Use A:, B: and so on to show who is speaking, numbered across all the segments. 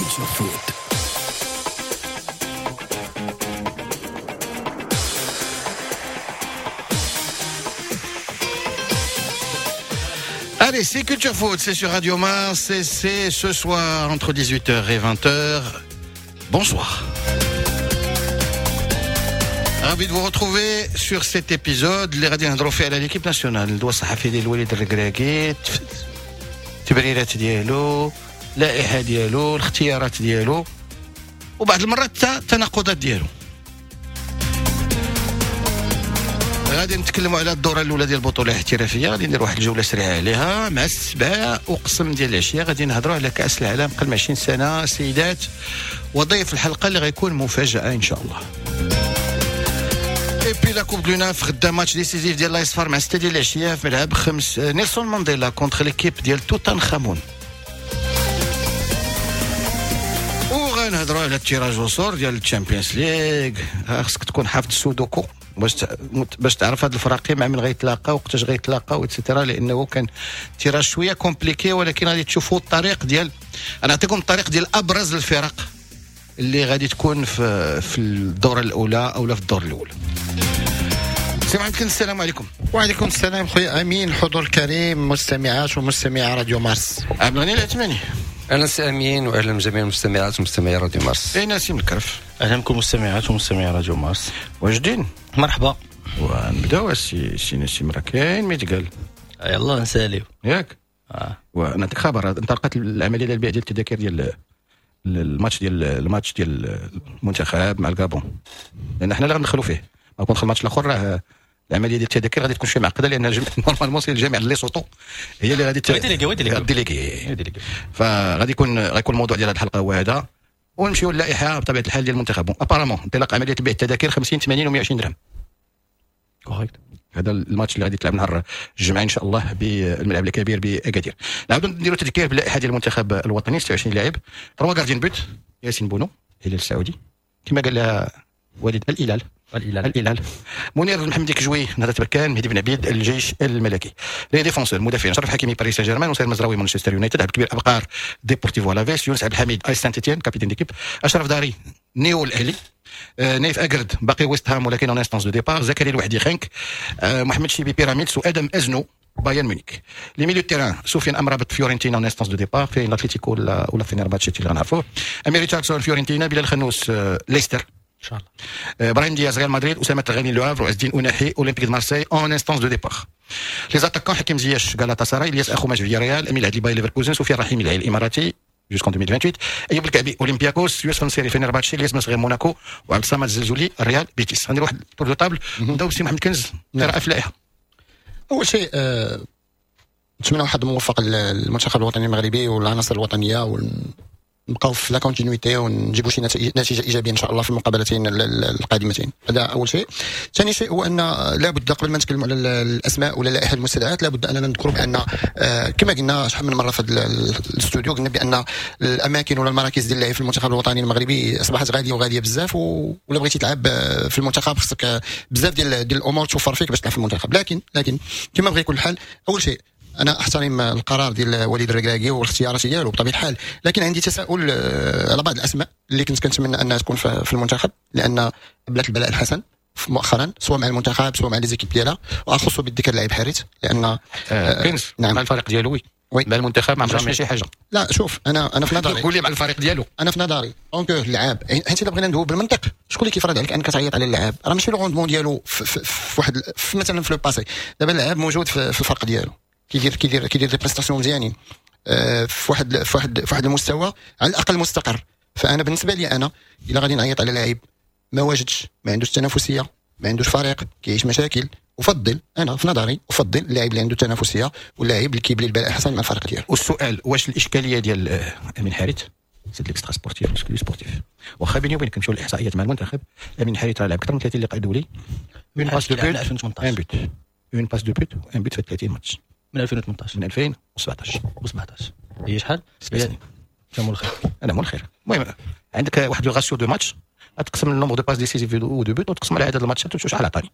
A: Culture Foot.
B: Allez, c'est Culture Foot, c'est sur Radio Mars et c'est ce soir entre 18h et 20h. Bonsoir. Ravi de vous retrouver sur cet épisode اللي غادي نهضروا فيه على l'équipe nationale، الندوة الصحفية ديال الوليد الركراكي، التبريرات ديالو، اللائحة ديالو، الاختيارات ديالو، وبعض المرات حتى التناقضات ديالو. غادي نتكلموا على الدورة الاولى ديال البطولة الاحترافية، غادي ندير واحد الجولة سريعة عليها مع 7:15 ديال العشية. غادي نهضروا على كاس العالم قبل 20 سنة سيدات، وضيف الحلقة اللي غيكون مفاجاة ان شاء الله. Et puis la Coupe de l'UNAF، غدا match décisif ديال l'AS FAR مع 6 ديال العشية في ملعب 5 نيلسون مانديلا contre l'équipe ديال توتان خامون. وغنهضروا على ال tirage au sort ديال ال Champions League. خصك تكون حافظ السودوكو باش تعرف هاد الفراقي مع من غيتلاقاو، وقتاش غيتلاقاو et cetera، لانه كان tirage شوية compliqué، ولكن غادي تشوفوا الطريق ديال، انا نعطيكم الطريق ديال ابرز الفرق اللي غادي تكون في الدورة الاولى او لا في الدور الاول. سي محمد كنز، السلام عليكم.
C: وعليكم السلام خويا امين، الحضور الكريم، مستمعات ومستمعي راديو مارس.
B: عبد الغني العثماني.
D: اهلا سي امين، واهلا بجميع المستمعات ومستمعي راديو مارس.
B: اي نسيم الكرف.
E: اهلا بكم مستمعات ومستمعي راديو مارس.
B: واجدين؟
E: مرحبا.
B: ونبداو سي نسيم، راه كاين ما يتقال.
E: يلا نساليو.
B: ياك؟ ونعطيك خبر، انطلقت العملية ديال البيع ديال التذاكر ديال الماتش ديال المنتخب مع الكابون، لان حنا اللي غندخلوا فيه. ما كون الماتش الاخر راه العملية ديال التذاكر غادي تكون شوية معقدة، لان normalement c'est الجامعة ليسوتو هي اللي غادي déléguer. فغادي غيكون الموضوع ديال هذه الحلقة هو هذا، ونمشيو للائحه بطبيعة الحال ديال المنتخب. apparemment انطلاق عملية بيع التذاكر 50 80 و 120 درهم.
E: correct.
B: هذا الماتش اللي غادي يتلعب نهار الجمعة ان شاء الله بالملعب الكبير باكادير. نعاودو نديرو تذكير باللائحه ديال المنتخب الوطني، 26 لاعب، 3 gardiens de but، ياسين بونو الهلال السعودي كما قال لها وليد الهلال الهلال، منير المحمدي كجوي نهضة بركان، مهدي بن عبيد الجيش الملكي. les défenseurs المدافعين، شرف حكيمي باريس سان جيرمان، نصير مزراوي مانشستر يونايتد، عبد الكبير ابقار ديبورتيفو الافيس، يونس عبد الحميد اي سانت اتيان capitaine d'équipe، اشرف داري نيو الاهلي، نايف اكرد باقي ويست هام ولكن en instance de départ، زكريا الوحدي خانك، محمد شيبي بيراميدز، وادم ازنو بايرن ميونيك. les milieux terrain، سفيان امرابط فيورنتينا en instance de départ في الاتليتيكو ولا فينيرباتشي اللي غنعرفوه، امير ريتشاردسون فيورنتينا، بلال خنوس ليستر
E: ان شاء الله،
B: ابراهيم دياز ريال مدريد، اسامة الغني لو هافر، وعز الدين اوناحي اولمبيك دو مارسي en instance de départ. les attaquants، حكيم زياش غالاتا سراي، الياس اخوماش فيا ريال، امين العدلي باي ليفركوزن، سفيان رحيمي العين الاماراتي jusqu'en 2028، ايوب الكعبي اولمبياكوس، يوسف نصيري فينيرباتشي، الياس مسغير موناكو، وعبد الصمد الزلزولي ريال بيتيس. غندير واحد tour de table، نبداو بسي محمد كنز، قراءة في اللائحة.
C: اول شيء نتمنى واحد موفق للمنتخب الوطني المغربي والعناصر الوطنية، نبقاو في la continuité ونجيبوا شي نتيجة ايجابية ان شاء الله في المقابلتين القادمتين. هذا اول شيء. ثاني شيء هو ان لابد قبل ما نتكلموا على الاسماء ولا اللائحة المستدعات، لابد اننا نذكروا بان كما قلنا شحال من مرة في الاستوديو، قلنا بان الاماكن ولا المراكز ديال اللعب في المنتخب الوطني المغربي اصبحت غالية وغاليه بزاف، ولا بغيتي تلعب في المنتخب خصك بزاف ديال الامور توفر فيك باش تلعب في المنتخب. لكن كما بغى يكون الحال، اول شيء انا احترم القرار ديال وليد الركراكي والاختيارات ديالو بطبيعة الحال، لكن عندي تساؤل على بعض الاسماء اللي كنت كنتمنى انها تكون في المنتخب، لان بلات البلاء الحسن مؤخرا سواء مع المنتخب سواء مع les équipes ديالها، واخص بالذكر اللاعب حارث لان
B: كنز نعم مع الفريق ديالو oui مع المنتخب ما عمرش شي حاجة.
C: لا شوف انا في نظري
B: قول لي مع الفريق ديالو،
C: انا في نظري donc اللعاب، حيت الا بغينا ندوي بالمنطق شكون اللي كيفرض عليك انك تعيط على اللاعب؟ راه ماشي le rendement ديالو في واحد في مثلا في le passé. دابا اللاعب موجود في الفرق ديالو، كيدير des prestations مزيانين في واحد المستوى على الاقل مستقر. فانا بالنسبة لي انا الا غادي نعيط على لاعب ما واجدش، ما عندوش تنافسية، ما عندوش فريق، كيعيش مشاكل، افضل انا في نظري افضل اللاعب اللي عنده تنافسية واللاعب اللي كيبلي البلاء الحسن مع الفريق ديالو.
B: والسؤال، واش الاشكالية ديال امين حارث c'est l'extra-sportif مش sportif؟ واخا بيني وبينك نمشيو للاحصائيات مع المنتخب، امين حارث راه لعب اكثر من 30 لقاء دولي، une passe de but un but، une passe de but un but في 30 ماتش
E: من 2018 من
B: 2017
E: و17 هي شحال؟
B: 7 سنين.
E: انت مول الخير.
B: انا مول الخير. المهم عندك واحد le ratio de matchs، تقسم ال nombre de passes décisives و de buts وتقسم على عدد الماتشات وتشوف شحال عطاني.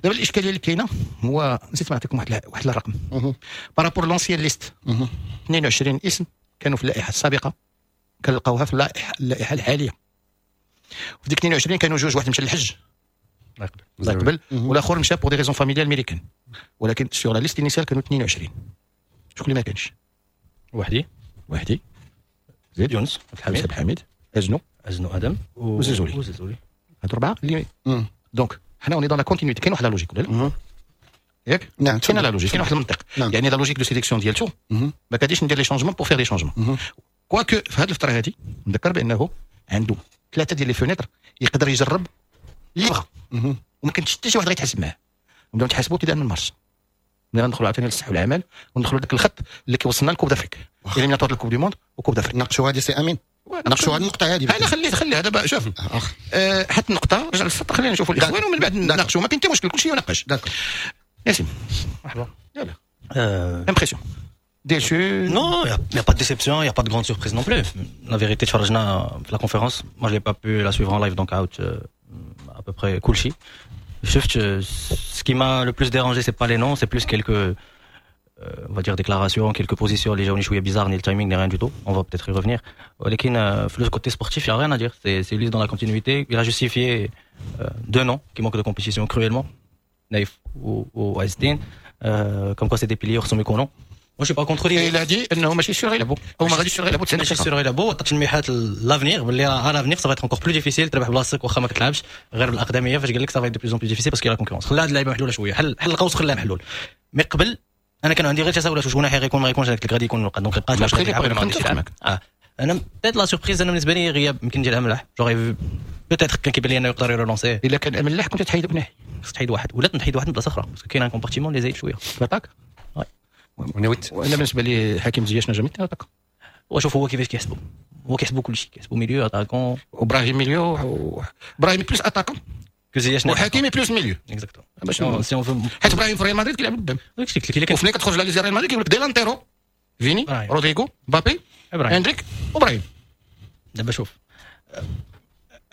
B: دابا الاشكالية اللي كاينه هو نسيت ما نعطيكم واحد الرقم par rapport l'ancienne liste، 22 اسم كانوا في اللائحة السابقة كنلقاوها في اللائحة الحالية. في ديك 22 كانوا جوج، واحد مشى للحج الله يقبل، والاخر مشى pour des raisons familiales américaines، ولكن sur la liste initiale كانوا 22. شكون اللي ما كانش؟
E: وحدي
B: زيد،
E: يونس عبد الحميد،
B: عبد الحميد، ازنو
E: ادم
B: وزلزولي. هادو اربعة اللي donc حنا on est dans la continuité. كاين واحد la logique ولا لا؟ ياك؟
C: نعم،
B: كاين la logique، كاين واحد المنطق. يعني la logique de sélection ديالته ما كاديش ندير les changements pour faire les changements. quoique في هذه الفترة هذه نذكر بانه عنده ثلاثة ديال les fenêtres يقدر يجرب اللي بغا، وما كانش حتى شي واحد غيتحاسب معاه. نبداو نتحاسبوا ابتداء من مارس، ملي غندخلوا عاوتاني للصحة والعمل وندخلوا داك الخط اللي كيوصلنا ل Coupe d'Afrique، éliminatoires ال Coupe du monde و Coupe d'Afrique.
C: ناقشوا هذه سي امين، ناقشوا هذه النقطة هذه.
B: انا خلي هذا شوف حتى النقطة رجع للسطر، خلينا نشوفوا الاخوان ومن بعد نناقشوا، ما كاين حتى مشكل، كلشي يناقش. ياسين
E: مرحبا.
B: يلا impression déçu؟
E: Non, il n'y a pas de déception, il n'y a pas de grande surprise non plus. La vérité, تفرجنا في la conférence, moi je n'ai pas pu la suivre en live, donc out à peu près كلشي. شفت ce qui m'a le plus dérangé, c'est pas les noms, c'est plus quelques on va dire déclarations, quelques positions اللي جاوني شوية bizarre, ni le timing ni rien du tout. On va peut-être y revenir. ولكن في le côté sportif, il n'y a rien à dire. C'est lui dans la continuité. Il a justifié deux noms qui manquent de compétition cruellement, Naïf ou عز الدين, comme quoi c'est des piliers خصهم يكونوا. Moi, je suis pas contre lui.
B: Il a dit انه ماشي sûr يلعبوا، او ما غاديش sûr يلعبوا.
E: ماشي sûr يلعبوا، عطى تلميحات l'avenir باللي à l'avenir ça va être encore plus difficile تربح بلاصتك واخا ما كتلعبش غير بالاقدميه. فاش قال لك ça va être de plus en plus difficile parce que la concurrence، خلى هاد اللعيبة محلولة شويه، حل القوس خلاه محلول. mais قبل انا كان عندي غير تساؤلات، واش اوناحي غيكون ما غيكونش؟ قلت لك غادي يكون، donc بقات واش غادي يلعب ولا ما غاديش يلعب. انا peut-être la surprise انا بالنسبة لي غياب يمكن ديال املاح، j'aurais peut-être كان كيبان لي انه يقدر ي relancer.
B: الا كان املاح كنت تحيد اوناحي؟
E: خصك تحيد واحد ولا تحيد واحد من بلاصة اخرى، parce que كاين un compartiment اللي زايد شوية.
B: l'attaque. وانا بالنسبة لي حكيم زياش n'a jamais été attaquant.
E: وشوف هو كيفاش كيحسبوا، هو كيحسبوا كلشي، كيحسبوا milieu attaquant.
B: وابراهيم milieu، ابراهيم plus attaquant
E: زياش
B: وحكيمي plus milieu.
E: exactement.
B: باش حيت ابراهيم في ريال مدريد كيلعب قدام، وفين كتخرج la liste ريال مدريد كيقول لك delantero فيني، رودريغو، مبابي، اندريك وابراهيم.
E: دابا شوف،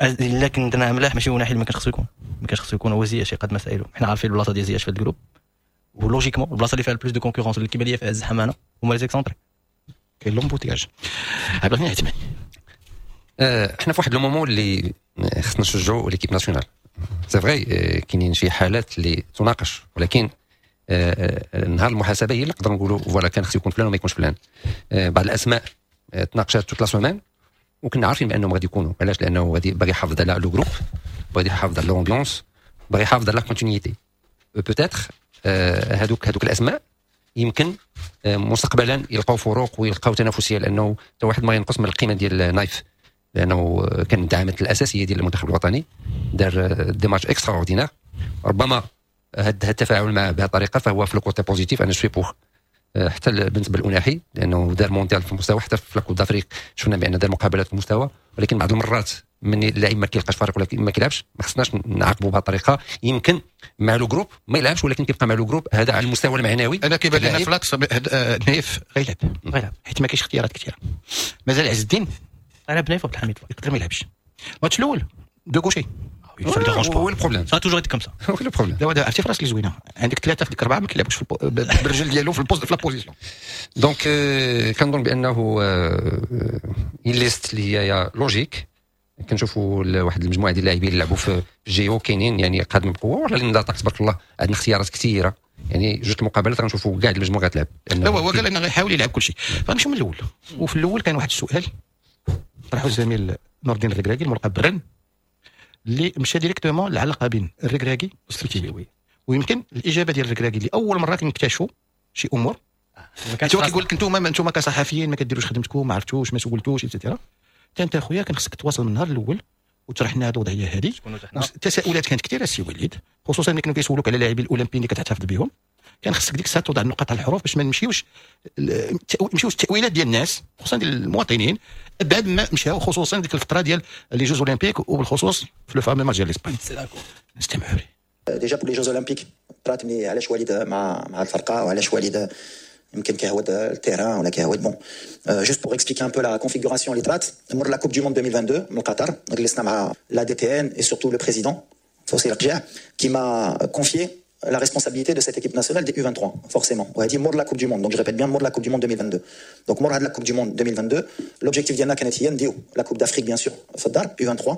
E: الا كنت انا ملاح ماشي اوناحي اللي ما كانش خصو يكون، ما كانش خصو يكون هو زياش يقاد مسائله. حنا عارفين البلاصة ديال زياش في ال groupe، و logiquement البلاصة اللي فيها ال plus de concurrence اللي كيبان ليا فيها الزحمة انا هما les excentrés.
B: كاين l'embouteillage. عبد الغني عثماني،
D: احنا في واحد le moment اللي خصنا نشجعوا l'équipe nationale. c'est vrai كاينين شي حالات اللي تناقش، ولكن نهار المحاسبة هي اللي نقدر نقولوا voilà كان خصو يكون فلان وما يكونش فلان. بعض الاسماء تناقشات toute la semaine وكنا عارفين بانهم غادي يكونوا. علاش؟ لانه غادي باغي يحافظ على le groupe، باغي يحافظ على l'ambiance، باغي يحافظ على la continuité. peut-être هذوك الاسماء يمكن مستقبلا يلقاو فروق ويلقاو تنافسيه، لانه حتى واحد ما ينقص من القيمة ديال نايف، لانه كان الدعامات الاساسية ديال المنتخب الوطني، دار des matchs extraordinaires. ربما هذا التفاعل معه بهذه الطريقة فهو في ال côté positif. انا je suis pour حتى بالنسبة لاوناحي، لانه دار مونديال في المستوى، حتى في la Coupe d'Afrique شفنا بان دار مقابلات في المستوى، ولكن بعض المرات من اللاعب ما كيلقاش فريق ولا ما كيلعبش، ما خصناش نعاقبوا بهذه الطريقه. يمكن مع le groupe ما يلعبش، ولكن كيبقى مع le groupe، هذا على المستوى المعنوي.
B: انا كيبان لنا ف l'axe نايف غيلعب،
E: غيلعب
B: حيت ما كاينش اختيارات كثيرة. مازال عز الدين
E: غيلعب نايف عبد الحميد.
B: يقدر ما يلعبش الماتش الاول deux gauchers.
E: Ça me dérange pas.
D: هو ال problème؟
E: Ça a toujours été comme ça.
D: هو ال problème؟
B: دابا عرفتي في راسك زوينه، عندك ثلاثة في ديك اربعة ما كيلعبوش بالرجل ديالو في ال poste، في la position.
D: donc كنظن بانه liste اللي هي logique، كنشوفوا واحد المجموعة ديال اللاعبين اللي لعبوا في ال JO كاينين، يعني قادم بقوه، ولا لان تبارك الله عندنا اختيارات كثيره، يعني جوج المقابلات غنشوفوا كاع المجموعة غتلعب.
B: لا، هو قال انه غيحاول يلعب كل شيء. فنمشيو من الاول، وفي الاول كان واحد السؤال طرحه الزميل نور الدين الركراكي الملقب برن، اللي مشى directement العلاقة بين الركراكي والسلتيني، ويمكن الاجابة ديال الركراكي اللي اول مرة كنكتشفوا شي امور. انتوا كيقول لك انتم كصحفيين ما كديروش خدمتكم، ما عرفتوش، ما سولتوش، et cetera. انت اخويا كان خصك تواصل من النهار الاول وتشرح لنا هذه الوضعية هذه. التساؤلات كانت كثيرة السي وليد، خصوصا ملي كانوا كيسولوك على اللاعبين الاولمبيين اللي كتحتفظ بهم، كان خصك ديك الساعة توضع النقاط على الحروف باش ما نمشيوش التاويلات ديال الناس، خصوصا ديال المواطنين، بعد ما مشاو، خصوصا ديك الفترة ديال les Jeux Olympiques وبالخصوص في le fameux match ديال l'Espagne. نستمعوا ليه.
A: déjà pour les Jeux Olympiques طرات ملي علاش وليد مع الفرقة وعلاش وليد يمكن كيهود ال terrain ولا كيهود. bon، juste pour expliquer un peu la configuration اللي طرات مور la Coupe du Monde 2022 من قطر، جلسنا مع la DTN et surtout le président فوزي لقجع qui m'a confié la responsabilité de cette équipe nationale des U23 forcément. وهذه مور la Coupe du Monde, donc je répète bien مور la Coupe du Monde 2022. Donc مور هاد la Coupe du Monde 2022, l'objectif ديالنا كانت هي نديو la Coupe d'Afrique bien sûr في الدار U23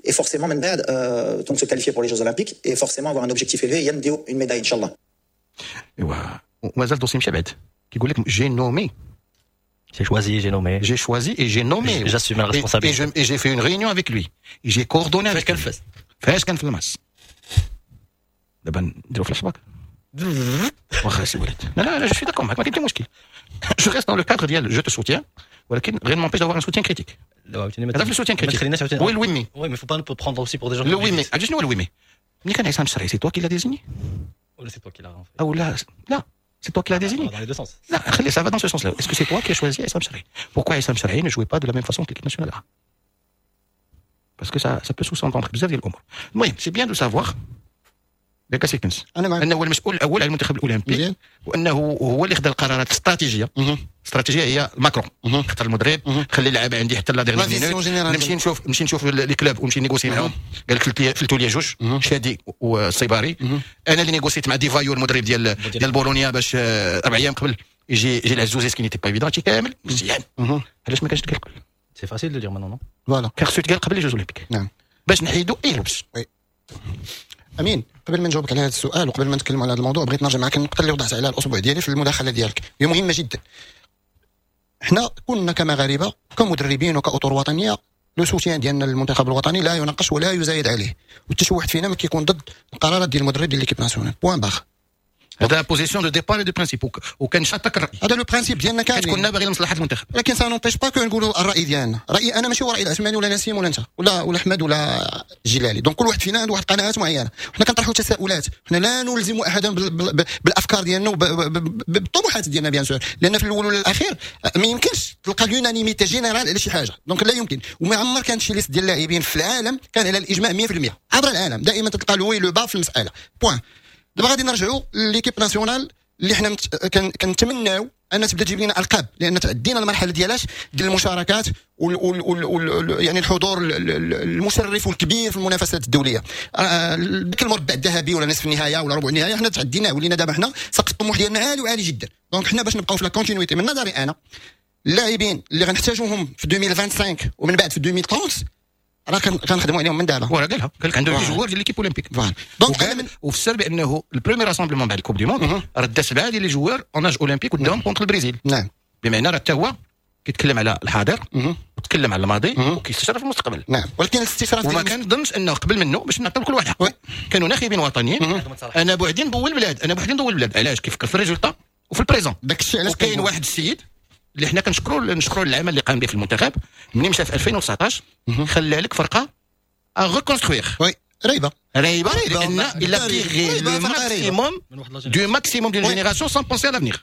A: et forcément من بعد donc se qualifier pour les Jeux Olympiques et forcément avoir un objectif élevé هي نديو une médaille ان شاء الله.
B: ايوا ومازال dossier مشى بعد, كيقول لك j'ai nommé.
E: J'ai choisi, j'ai nommé.
B: J'ai choisi et j'ai nommé.
E: J'assume la responsabilité.
B: Et j'ai fait une réunion avec lui. Et j'ai coordonné avec
E: فاش كان
B: lui.
E: فاس؟
B: فاش كان في الماس. دابا نديرو فلاش باك. واخا سي وليد. لا لا لا, je suis d'accord معاك, ما كاين حتى مشكل. Je reste dans le cadre ديال je te soutiens, ولكن rien ne m'empêche d'avoir un soutien critique. هذا في ال soutien
E: ما
B: critique.
E: تخليناش عاوتاني.
B: هو ال oui mais.
E: Oui, mais faut pas nous prendre aussi pour des gens.
B: le oui mais, عرفتي شنو هو ال oui mais؟ ملي كان عصام الشرعي, c'est toi qui l'as désigné.
E: ولا c'est toi qui l'as fait.
B: او لا لا, c'est toi qui l'as désigné.
E: Dans les deux sens.
B: لا خلي, ça va dans ce sens-là. Est-ce que c'est toi qui as choisi Essam Sharhi؟ Pourquoi Essam Sharhi ne jouait pas de la même façon que l'équipe nationale A؟ Parce que ça peut sous-entendre بزاف ديال الامور. المهم c'est bien de savoir ياك سي كنز
C: انا معك.
B: انه هو المسؤول الاول على المنتخب الاولمبي
C: مزيان.
B: وانه هو اللي خدا القرارات الاستراتيجيه.
C: مهم.
B: الاستراتيجية هي ال macro.
C: مهم.
B: اختار المدرب, خلي اللعابه عندي حتى la
C: la
B: dernière
C: vision
B: minute.
C: générale.
B: نمشي نشوف les clubs ونمشي négocier معاهم. قال لك فلتوا لي جوج, شادي والصيباري. انا اللي négociيت مع دي فايو المدرب ديال بولونيا باش 4 ايام قبل يجي العزوزي, ce qui n'était pas évident. هادشي كامل مزيان. علاش ما كانش تقال قبل؟
E: C'est facile de dire maintenant, non؟
C: voilà.
B: كان خصو يتقال قبل les Jeux Olympiques باش نحيدوا اي لبس.
C: امين, قبل ما نجاوبك على هذا السؤال وقبل ما نتكلم على هذا الموضوع, بغيت نرجع معك النقطة اللي وضعت عليها الاسبوع ديالي في المداخلة ديالك, هي مهمة جدا. حنا كنا كمغاربه, كمدربين وكاطر وطنيه, le soutien ديالنا للمنتخب الوطني لا يناقش ولا يزايد عليه, وحتى شي واحد فينا ما كيكون ضد القرارات ديال المدرب ديال l'équipe nationale, point barre.
B: هذا position de départ de principe وكان شاطك الراي.
C: هذا le principe ديالنا
B: حيت
C: كاملين.
B: كنا باغيين مصلحة المنتخب.
C: ولكن ça n'empêche pas que نقولوا الراي ديالنا. رايي انا ماشي هو راي العثماني ولا نسيم ولا انت ولا احمد ولا جلالي. donc كل واحد فينا عنده واحد القناعات معينه. حنا كنطرحوا تساؤلات, حنا لا نلزم احدا بالافكار ديالنا وبالطموحات ديالنا bien sûr, لان في الاول والاخير ما يمكنش تلقى l'unanimité générale على شي حاجه, donc لا يمكن. وما عمر كانت شي liste ديال اللاعبين في العالم كان على الاجماع 100% عبر العالم. دائما تلقى le haut et le bas في المسالة, point. دابا غادي نرجعوا l'équipe nationale اللي حنا كنتمناو ان تبدا تجيب لنا القاب, لان تعدينا المرحلة ديالاش ديال المشاركات وال وال وال وال يعني الحضور المشرف والكبير في المنافسات الدوليه, ديك المربع الذهبي ولا نصف النهاية ولا ربع النهايه, حنا تعديناه. ولينا دابا حنا سقف الطموح ديالنا عالي وعالي جدا. donc حنا باش نبقاو في la continuité, من نظري انا اللاعبين اللي غنحتاجوهم في 2025 ومن بعد في 2030 راه كنخدموا عليهم من دابا.
B: هو قالها, قال لك عنده des joueurs ديال l'équipe olympique.
C: voilà, donc انا من
B: وفسر بانه ال premier rassemblement بعد ال Coupe du Monde راه دا سبعة ديال les joueurs en âge olympique قدام contre البرازيل. بمعنى راه حتى هو كيتكلم على الحاضر وتكلم على الماضي وكيستشرف في المستقبل.
C: نعم, ولكن الاستشراف
B: وما كنظنش انه قبل منه, باش نعطيو كل واحد حقه, كانوا ناخبين وطنيين. انا بوحدي نضوي البلاد, انا بوحدي نضوي البلاد. علاش؟ كيفكر في ال résultat وفي ال présent.
C: داك الشيء علاش
B: وكاين واحد السيد اللي حنا كنشكروا العمل اللي قام به في المنتخب ملي مشى في 2019, خلى لك فرقه à reconstruire.
C: oui, ريبه.
B: ريبه, لان il a tiré le maximum du maximum d'une génération sans penser à l'avenir.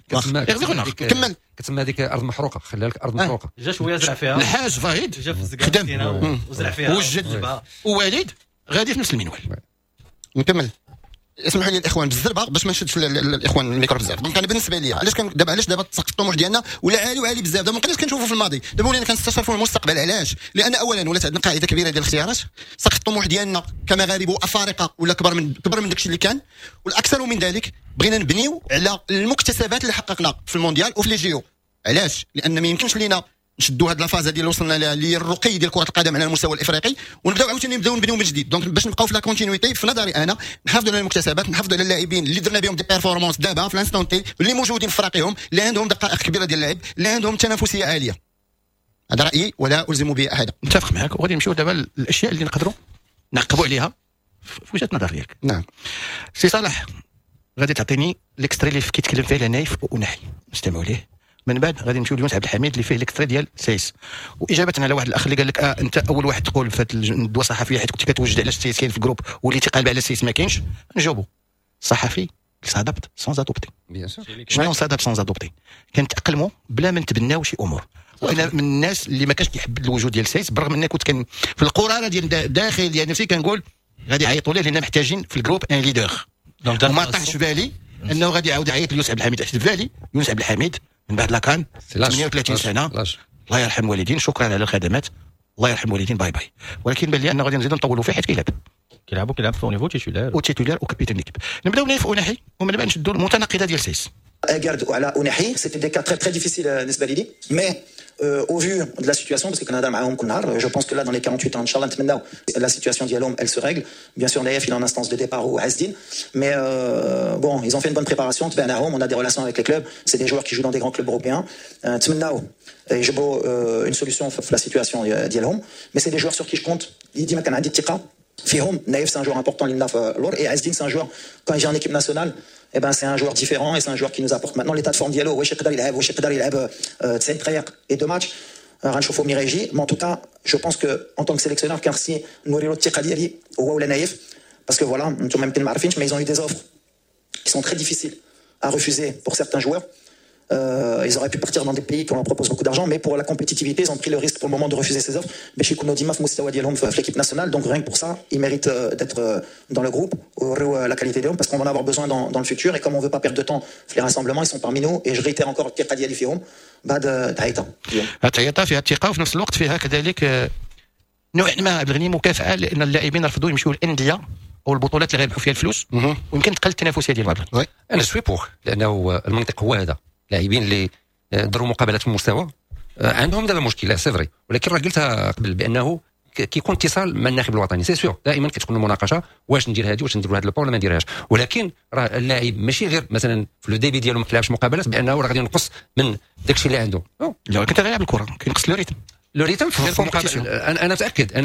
C: كمل.
D: كتسمى هذيك ارض محروقه, خلى لك ارض محروقه.
E: جا شوية زرع فيها.
B: الحاج فهيد
E: جا في
B: خدم
E: وزرع فيها.
B: وجد, ووليد غادي في نفس المنوال.
C: نكمل, اسمحوا لي الاخوان بالزربه باش ما نشدش الاخوان الميكرو بزاف. donc انا بالنسبة لي علاش كان دابا, علاش دابا سقف الطموح ديالنا ولا عالي وعالي بزاف؟ دابا ما بقيناش كنشوفوا في الماضي, دابا ولينا كنستشرفوا المستقبل. علاش؟ لان اولا ولات عندنا قاعدة كبيرة ديال الاختيارات, سقف الطموح ديالنا كمغاربه وافارقه ولا كبر من داكشي اللي كان, والاكثر من ذلك بغينا نبنيو على المكتسبات اللي حققنا في المونديال وفي les JO. علاش؟ لان ما يمكنش لينا نشدوا هذه la phase ديال اللي وصلنا لها, اللي هي الرقي ديال كره القدم على المستوى الافريقي, ونبداو عاوتاني نبداو نبنيو من جديد. donc باش نبقاو في la continuité, في نظري انا نحافظوا على المكتسبات, نحافظوا على اللاعبين اللي درنا بهم des performances دابا في l'instant T, اللي موجودين في فراقهم, اللي عندهم دقائق كبيرة ديال اللعب, اللي عندهم تنافسية عاليه. هذا رايي ولا الزم به احدا.
B: متفق معك, وغادي نمشيو دابا للاشياء اللي نقدروا نعقبوا عليها في وجهه النظر ديالك.
C: نعم.
B: سي صالح, غادي تعطيني l'extrait اللي كيتكلم فيه على نايف ونحي, نستمعوا ليه, من بعد غادي نمشيو ليونس عبد الحميد اللي فيه l'extrait ديال سايس. واجابه على واحد الاخ اللي قال لك انت اول واحد تقول في هذه الندوة الصحفية حيت كنت كتوجد على سايس كاين في ال groupe وليتي قالب على سايس ما كاينش. نجاوبوا, الصحفي s'adapte sans adopter.
D: bien sûr.
B: شنو s'adapte sans adopter؟ كنتاقلموا بلا ما نتبناو شي امور. وانا من الناس اللي ما كانش كيحب الوجود ديال سايس, بالرغم اني كنت كان في القراره ديال داخل ديال نفسي كنقول غادي يعيطوا ليه لان محتاجين في ال groupe un leader, وما طاحش في بالي انه غادي يعاود يعيط ليونس عبد الحميد. في بالي يونس عبد الحميد من بعد la CAN, 38 سنه, الله يرحم الوالدين, شكرا على الخدمات, الله يرحم الوالدين, bye bye. ولكن بان لي انه غادي نزيدو نطولوا فيه حيت كيلعب.
E: كيلعبوا كيلعب في niveau titulaire
B: و titulaire و capitaine l'équipe. نبداو بنايف اوناحي ومن بعد نشدوا المتناقضه ديال سايس.
A: اكارد وعلى اوناحي c'était des cas très très difficiles بالنسبة لي، mais au vu de la situation, parce que كنهضر معاهم كل نهار، je pense que là dans les 48 heures ان شاء الله نتمناو la situation ديالهم elle se règle. Bien sûr نايف il est en instance de départ و عز الدين، mais bon, ils ont fait une bonne préparation. تبعناهم، on a des relations avec les clubs, c'est des joueurs qui jouent dans des grands clubs européens. نتمناو يجيبوا une solution في la situation ديالهم، mais c'est des joueurs sur qui je compte. ديما كان عندي الثقة فيهم. نايف c'est un joueur important لنا في اللور، et عز الدين c'est un joueur, quand il vient en équipe nationale, eh ben c'est un joueur différent et c'est un joueur qui nous apporte. Maintenant, l'état de forme ديالو، واش يقدر يلعب، واش يقدر يلعب 90 دقائق et deux matchs، غنشوفوا ملي غيجي. Mais en tout cas, je pense que en tant que sélectionneur كان خصني نوري له الثقة ديالي، هو ولا نايف، parce que voilà، انتم يمكن ما عارفينش، mais ils ont eu des offres qui sont très difficiles à refuser pour certains joueurs. Ils auraient pu partir dans des pays qui leur proposent beaucoup d'argent, mais pour la compétitivité, ils ont pris le risque pour le moment de refuser ces offres. باش يكونوا ديما في مستوى ديالهم في l'équipe nationale. Donc rien que pour ça, ils méritent d'être dans le groupe, ويوريو la qualité ديالهم, parce qu'on va en avoir besoin dans le futur. Et comme on veut pas perdre de temps في les rassemblements, ils sont parmi nous. Et je réitère encore الثقة ديالي فيهم بعد تعيطه.
B: تعيطه فيها الثقة، وفي نفس الوقت فيها كذلك نوع ما عبد الغني مكافاة، لان اللاعبين رفضوا يمشيو للاندية او البطولات اللي غيربحوا فيها الفلوس، ويمكن تقل التنافسية ديال بعض.
D: انا suis pour، لانه المنطق هو هذا. اللاعبين اللي دروا مقابلات في المستوى عندهم دابا مشكله، c'est vrai، ولكن راه قلتها قبل بانه كيكون اتصال مع الناخب الوطني، c'est sûr. دائما كتكون المناقشه، واش ندير هذه، واش ندير هذا le ولا ما نديرهاش. ولكن راه اللاعب ماشي غير مثلا في le début ديالو ما كيلعبش مقابلات بانه راه غادي ينقص من داكشي اللي عنده.
B: لا، ولكن غيلعب الكره كينقص le rythme.
D: le rythme في المقابله. انا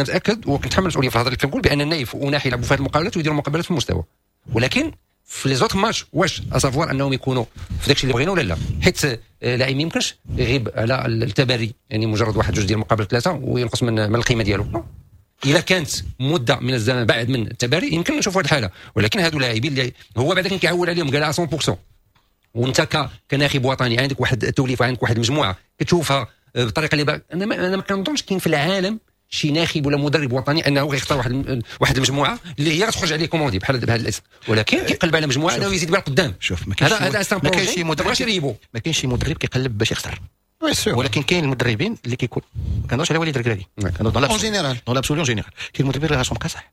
D: متاكد وكنتحمل المسؤولية في الهضرة اللي كنقول بان النايف وناحي يلعبوا في هذه المقابلات ويديروا مقابلات في المستوى، ولكن في les autres matchs واش à savoir انهم يكونوا في داكشي اللي بغينا ولا لا، حيت لاعب ما يمكنش يغيب على التباري، يعني مجرد واحد جوج ديال المقابلات ثلاثة وينقص من القيمة ديالو. الا كانت مده من الزمن بعد من التباري يمكن نشوفوا هذه الحاله، ولكن هادو اللاعبين اللي هو بعدا كان كيعول عليهم قال 100%، وانت كناخب وطني عندك واحد التوليفه، عندك واحد المجموعة كتشوفها بالطريقة اللي انا ما كنظنش كاين في العالم شي ناخب ولا مدرب وطني انه غيختار واحد المجموعة اللي هي غتخرج عليه comme on dit بحال بهذا الاسم، ولكن كيقلب على مجموعة انه يزيد بها القدام.
B: شوف،
D: ما كاينش هذا
B: ما كاينش شي مدرب، ما كاينش شي مدرب كيقلب باش يخسر، ولكن كاين المدربين اللي كيكون، ما كنهضرش على وليد الركراكي،
C: كنهضر en général.
B: dans l'absolu, en général كاين المدربين اللي راسهم قاصح،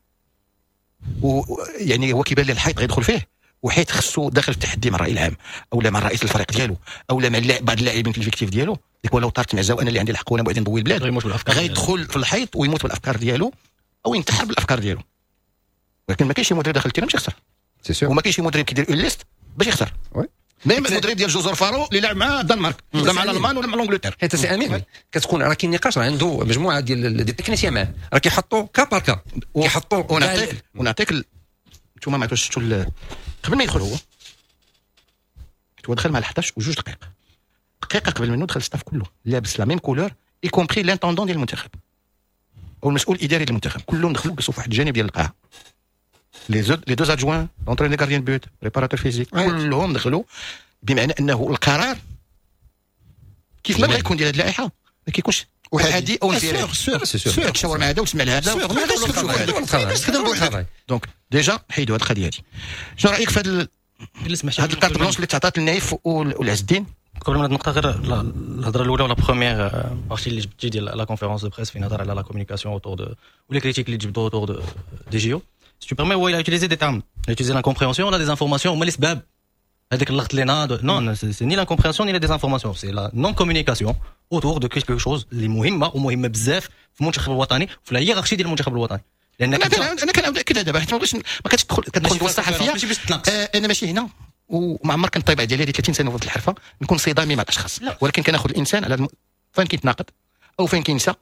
B: ويعني هو كيبان ليه الحيط غيدخل فيه، وحيت خصو داخل في التحدي مع الراي العام او لا مع رئيس الفريق ديالو او لا مع بعض اللاعبين في l'effectif ديالو، ديك ولو طارت معزة وانا اللي عندي الحق وانا بعدين نضوي البلاد، غيدخل في الحيط ويموت بالافكار ديالو او ينتحر بالافكار ديالو. ولكن ما كاينش شي مدرب داخل ال terrain باش يخسر، وما كاينش شي مدرب كيدير une liste باش يخسر، même المدرب ديال جزر فارو اللي لعب مع الدنمارك ولا مع الالمان ولا مع l'Angleterre.
D: حيت سي امين كتكون راه كاين نقاش، راه عنده مجموعة ديال des techniciens معاه، راه كيحطوا cas par cas كيحطوا.
B: ونعطيك انتوما ما شفتوا قبل ما يدخل هو، هو دخل مع 11 وجوج دقائق، دقيقة قبل منه دخل staff كله لابس la même couleur، y compris l'intendant ديال المنتخب او المسؤول الاداري للمنتخب، كلهم دخلوا جلسوا في واحد الجانب ديال القاعه، les deux adjoints، l'entraîneur gardien de but، préparateur physique، كلهم دخلوا، بمعنى انه القرار كيف ما بغى يكون ديال هذه اللائحة ما كيكونش احادي او انفرادي، تشاور مع هذا وتسمع لهذا. donc déjà حيدوا هذه القضية هذه. شنو رايك في هذا هذا ال carte blanche اللي تعطات للنايف والعز الدين؟
E: قبل من هذه النقطه، غير الهضرة الاولى ولا première partie اللي جبتي ديال la conférence de presse فين هضر على la communication autour de و les critiques اللي جبدوا autour de des JO, si tu permets, il a utilisé des termes. Il a utilisé l'incompréhension, la désinformation, هما الاسباب هذاك اللغط اللي ناض. Non, c'est ni l'incompréhension ni la désinformation, c'est la non communication autour de quelque chose اللي مهمة ومهمة بزاف في المنتخب الوطني، في la hiérarchie ديال المنتخب الوطني.
B: لان انا كنعاود اكدها دابا، حيت ما بغيتش ما كتدخل كتدخل الصحفيه.
E: ماشي باش تناقش.
B: انا ماشي هنا وما عمر كان الطبيعة ديالي 30 سنة في الحرفة نكون صدامي مع الاشخاص، لا. ولكن كناخذ الانسان على فين كيتناقض او فين كينسى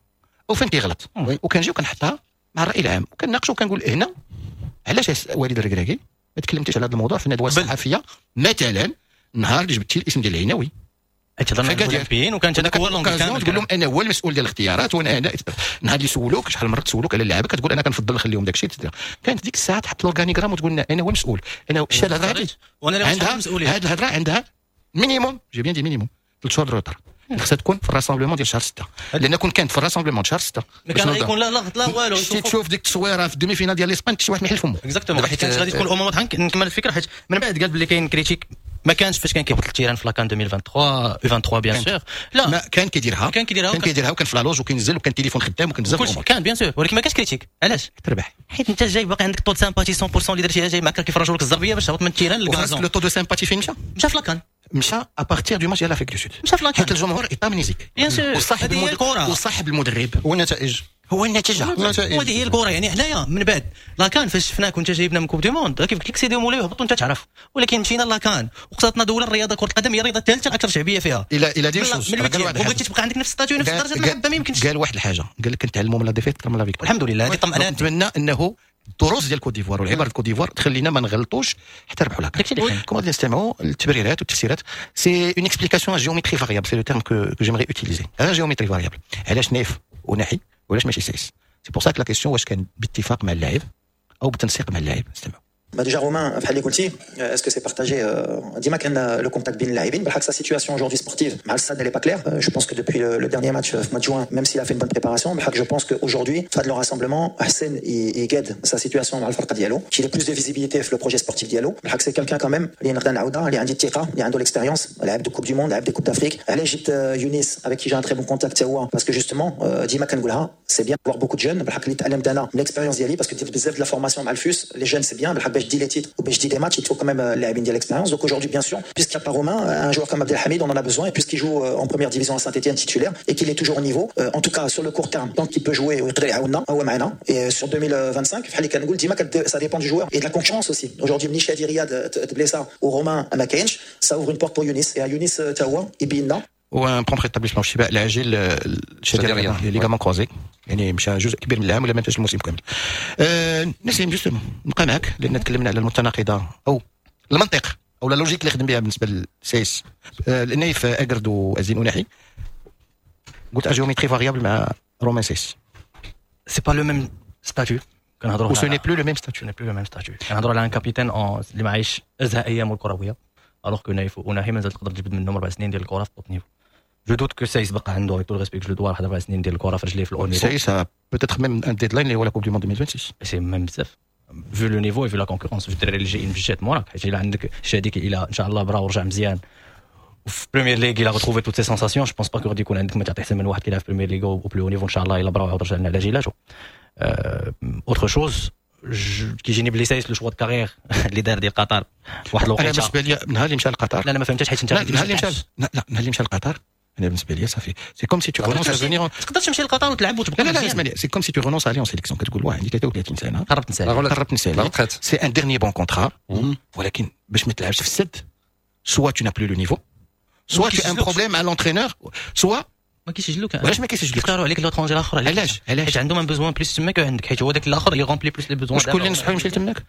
B: او فين كيغلط، وكنجي وكنحطها مع الراي العام وكنناقش وكنقول هنا علاش وليد الركراكي ما تكلمتيش على هذا الموضوع في الندوة الصحفية مثلا النهار اللي جبتي الاسم ديال العيناوي؟
E: هضرنا على الاولمبيين وكانت هذاك هو
B: l'occasion تقول لهم انا هو المسؤول ديال الاختيارات، وانا انا نهار اللي سولوك، شحال من مرة تسولوك على اللعابه، كتقول انا كنفضل نخليهم داك الشيء. كانت ديك الساعة تحط l'organigramme وتقول لنا انا هو المسؤول، انا شتي الهضرة هذه
E: وانا
B: عندها هذه الهضرة عندها minimum، j'ai bien dit minimum، 3 شهور retard، خصها تكون في ال rassemblement ديال شهر 6، لان كون كانت في ال rassemblement شهر 6
E: ما كان غيكون لا لغط لا والو.
B: شتي تشوف ديك التصويره في ال demi-finale ديال l'Espagne، شي واحد ما يحل فمو.
E: Exactement، حيت كانت غادي تكون الامور واضحه. نكمل الفكره، حيت من بعد قال بلي كاين critique. ما كانش فاش كان كيهبط ال terrain في la CAN 2023 U23 bien sûr. لا،
B: ما كان كيديرها. كان كيديرها وكان في la loge وكينزل وكان تليفون خدام وكان بزاف.
E: كلشي كان bien sûr، ولكن ما كانش critique. علاش؟
B: تربح.
E: حيت انت جاي باقي عندك taux de sympathie 100% اللي درتيها، جاي معك كيفرجوا لك الزربيه باش تهبط من ال terrain لل gazon.
B: le taux de sympathie فين مشى؟
E: مشى في la CAN.
B: مشى à partir du match ديال l'Afrique du Sud.
E: مشى في la CAN.
B: حيت الجمهور est amnésique.
E: bien sûr.
B: وصاحب
E: المدرب
B: وصاحب المدرب.
C: والنتائج.
B: هو النتيجه.
C: النتائج.
E: وهذه هي الكره. يعني حنايا من بعد la CAN فاش شفناك وانت جايبنا من Coupe du Monde، كيف قلت لك سيدي مولاي وهبط وانت تعرف، ولكن مشينا la CAN وقصتنا دولة الرياضه، كره القدم هي الرياضة الثالثة الاكثر شعبية فيها.
B: الى دي chose
E: وبغيتي تبقى عندك نفس statut، نفس درجه المحبه، ما يمكنش.
B: قال واحد الحاجه، قال لك نتعلموا من la défaite اكثر من la victoire.
E: الحمد لله، هذه طمأنات.
B: نتمنى انه الدروس ديال كوت ديفوار والعبر ديال كوت ديفوار تخلينا ما نغلطوش حتى نربحوا la CAN.
E: داكشي اللي كاين.
B: كما غادي نستمعوا التبريرات والتفسيرات، c'est une explication géométrie variable، c'est le terme que j'aimerais utiliser، géométrie variable. علاش نايف اوناحي وعلاش ماشي سايس؟ c'est pour ça la question واش كان باتفاق مع اللاعب او بالتنسيق مع اللاعب. استمعوا.
A: Bah déjà Romain, بحال اللي قلتي، est-ce que c'est partagé؟ ديما كان le contact بين اللاعبين. بالحق sa situation aujourd'hui sportive مع السد elle est pas claire. Je pense que depuis le dernier match في mois de juin، même s'il a fait une bonne préparation، بالحق je pense qu'aujourd'hui في هذا le rassemblement احسن يقاد sa situation مع الفرقة ديالو، qu'il ait plus de visibilité في le projet sportif ديالو. بالحق c'est quelqu'un quand même اللي نقدر نعاودها، اللي عندي الثقه، اللي عنده l'expérience، لعب des Coupes du Monde، لعب des Coupes d'Afrique. علاش جبت يونس avec qui j'ai un très bon contact هو parce que justement ديما كنقولها، c'est bien d'avoir beaucoup de jeunes. بالحق اللي تعلمت انا من l'expérience ديالي، parce que درت بزاف de la formation مع الفوس، les jeunes c'est bien، بالحق باش تدي les titres وباش تدي des matchs il faut quand même اللاعبين ديال l'expérience. donc aujourd'hui bien sûr puisqu'il n'y a pas Romain، un joueur comme Abdelhamid on en a besoin et puisqu'il joue en première division à Saint-Étienne titulaire et qu'il est toujours au niveau، en tout cas sur le court terme tant qu'il peut jouer ويقدر يعاوننا هو معنا. et sur 2025 بحال اللي كنقول ديما ça dépend du joueur et de la concurrence aussi. aujourd'hui ملي شادي رياض تبليسا ورومان ما كاينش، ça ouvre une porte pour Younis et à Younis تا هو يبين لنا.
B: و un prompt rétablissement، الشفاء العاجل شادي رياض، ligaments croisés، يعني مشى جزء كبير من العام ولا ما انتهاش الموسم كامل. نسيم، justement نبقى معك لان تكلمنا على المتناقضه او المنطق او la logique اللي خدم بها بالنسبة للسايس، نايف اكرد وعز الدين اوناحي. قلت géométrie variable مع رومان سايس.
E: c'est pas le même statut. كنهضروا
B: و ce n'est plus le même statut.
E: n'est plus le même statut. كنهضروا على un capitaine اللي ما عايش ازهى ايامه الكرويه، alors que نايف اوناحي مازال تقدر تجبد منهم 4 سنين ديال الكره في top niveau. je doute que سايس بقى عنده، avec tout le respect que je lui dois، واحد 4 سنين ديال الكره في رجليه في ال haut niveau.
B: سايس peut-être même un deadline اللي هو la Coupe du Monde 2026.
E: c'est même بزاف vu le niveau، vu la concurrence، في الدراري اللي جايين بجات موراك، حيت الا عندك شاديك الى ان شاء الله برا ورجع مزيان وفي Premier League il a retrouvé toutes ses sensations، je pense pas que غادي يكون عندك ما تعطي احسن من واحد كيلعب في Premier League au plus haut niveau، ان شاء الله الا برا وعاود رجع لنا على جيلاتو. autre chose كيجيني بلي سايس le choix de carrière اللي دار ديال قطر واحد
B: انا
E: الوقيته
B: بالنسبة لي نهار اللي مشى لقطر
E: لا، انا ما فهمتش حيت انت
B: لا، نهار اللي مشى، لا لا، نهار اللي مشى لقطر انا بالنسبة لي صافي، c'est comme si tu renonces à venir.
E: تقدر تمشي لقطر وتلعب وتبقى
B: لا لا لا،
E: مزيان.
B: اسمع لي، c'est comme si tu renonces à aller en sélection. كتقول واه عندي 33 سنه،
E: قربت نسالي.
B: قربت نسالي.
D: la retraite.
B: c'est un dernier bon contrat، ولكن باش ما تلعبش في السد، soit tu n'as plus le niveau، soit tu as un problème مع l'entraîneur، soit
E: ما كيسجلوك.
B: علاش ما كيسجلوكش؟
E: يختاروا عليك l'étranger الاخر.
B: علاش؟ علاش؟
E: حيت عندهم un besoin plus تماك عندك، حيت هو داك الاخر اللي remplit plus les besoins.
B: وشكون اللي نصحو يمشي لتماك؟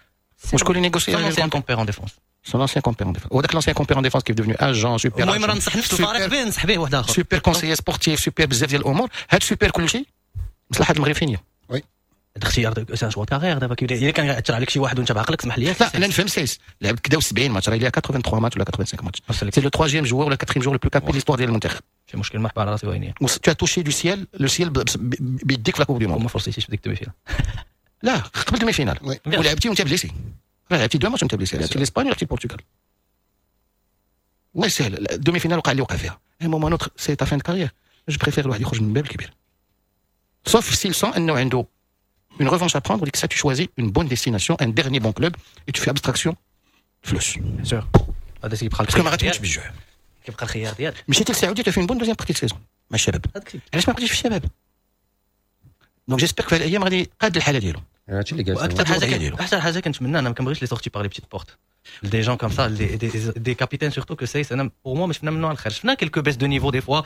B: وشكون اللي négocie؟
E: son ancien compère en défense.
B: son ancien compère en défense، وذاك l'ancien compère en défense qui est devenu agent super
E: المهم راه نصح نفس الفريق به، نصح به واحد اخر.
B: super conseiller sportif، super بزاف ديال الامور، هاد سوبر كل شيء. مصلحة المغرب فين هي؟
E: الاختيار c'est un choix carrière. دابا كيبدا الا كان ياثر عليك شي واحد وانت بعقلك، اسمح لي.
B: لا، انا نفهم سايس لعب كدا 70 ماتش، راه 83 ماتش ولا 85 matchs، c'est le troisième joueur ولا quatrième joueur le plus capé l'histoire ديال المنتخب.
E: شي مشكل، مرحبا، على راسي وعيني.
B: tu as touché du ciel، le ciel بيديك في la Coupe du Monde.
E: وما فرصيتيش في ديك ال demi-finale.
B: لا، قبل demi-finale ولعبتي وانت blessé، لعبتي deux matchs وانت blessé، لعبتي الاسبانيا ولعبتي البرتغال. الله يسهل، ال demi-finale وقع اللي وقع فيها. un moment autre c'est ta fin de carrière، je préfère الواحد يخرج من الباب الكبير، sauf s'il sent انه عنده une revanche à prendre، وديك الساعة tu choisis une bonne destination، un dernier bon club et tu fais abstraction فلوس.
E: bien sûr، هذا كيبقى
B: parce que ما غاتموتش بالجوع.
E: كيبقى الخيار ديالك.
B: مشيتي للسعوديه، tu fais une bonne deuxième partie de saison مع الشباب، علاش ما بقيتيش في الشباب؟ donc j'espère في الايام غادي قاد الحالة ديالو.
D: هادشي اللي قال.
E: واكثر حاجة، احسن حاجة كنتمنى، انا ما كنبغيش les sorties par les petites portes des gens comme ça، des capitaines surtout que سايس. انا pour moi ما شفنا منه على الخير، شفنا quelques baisses de niveau des fois،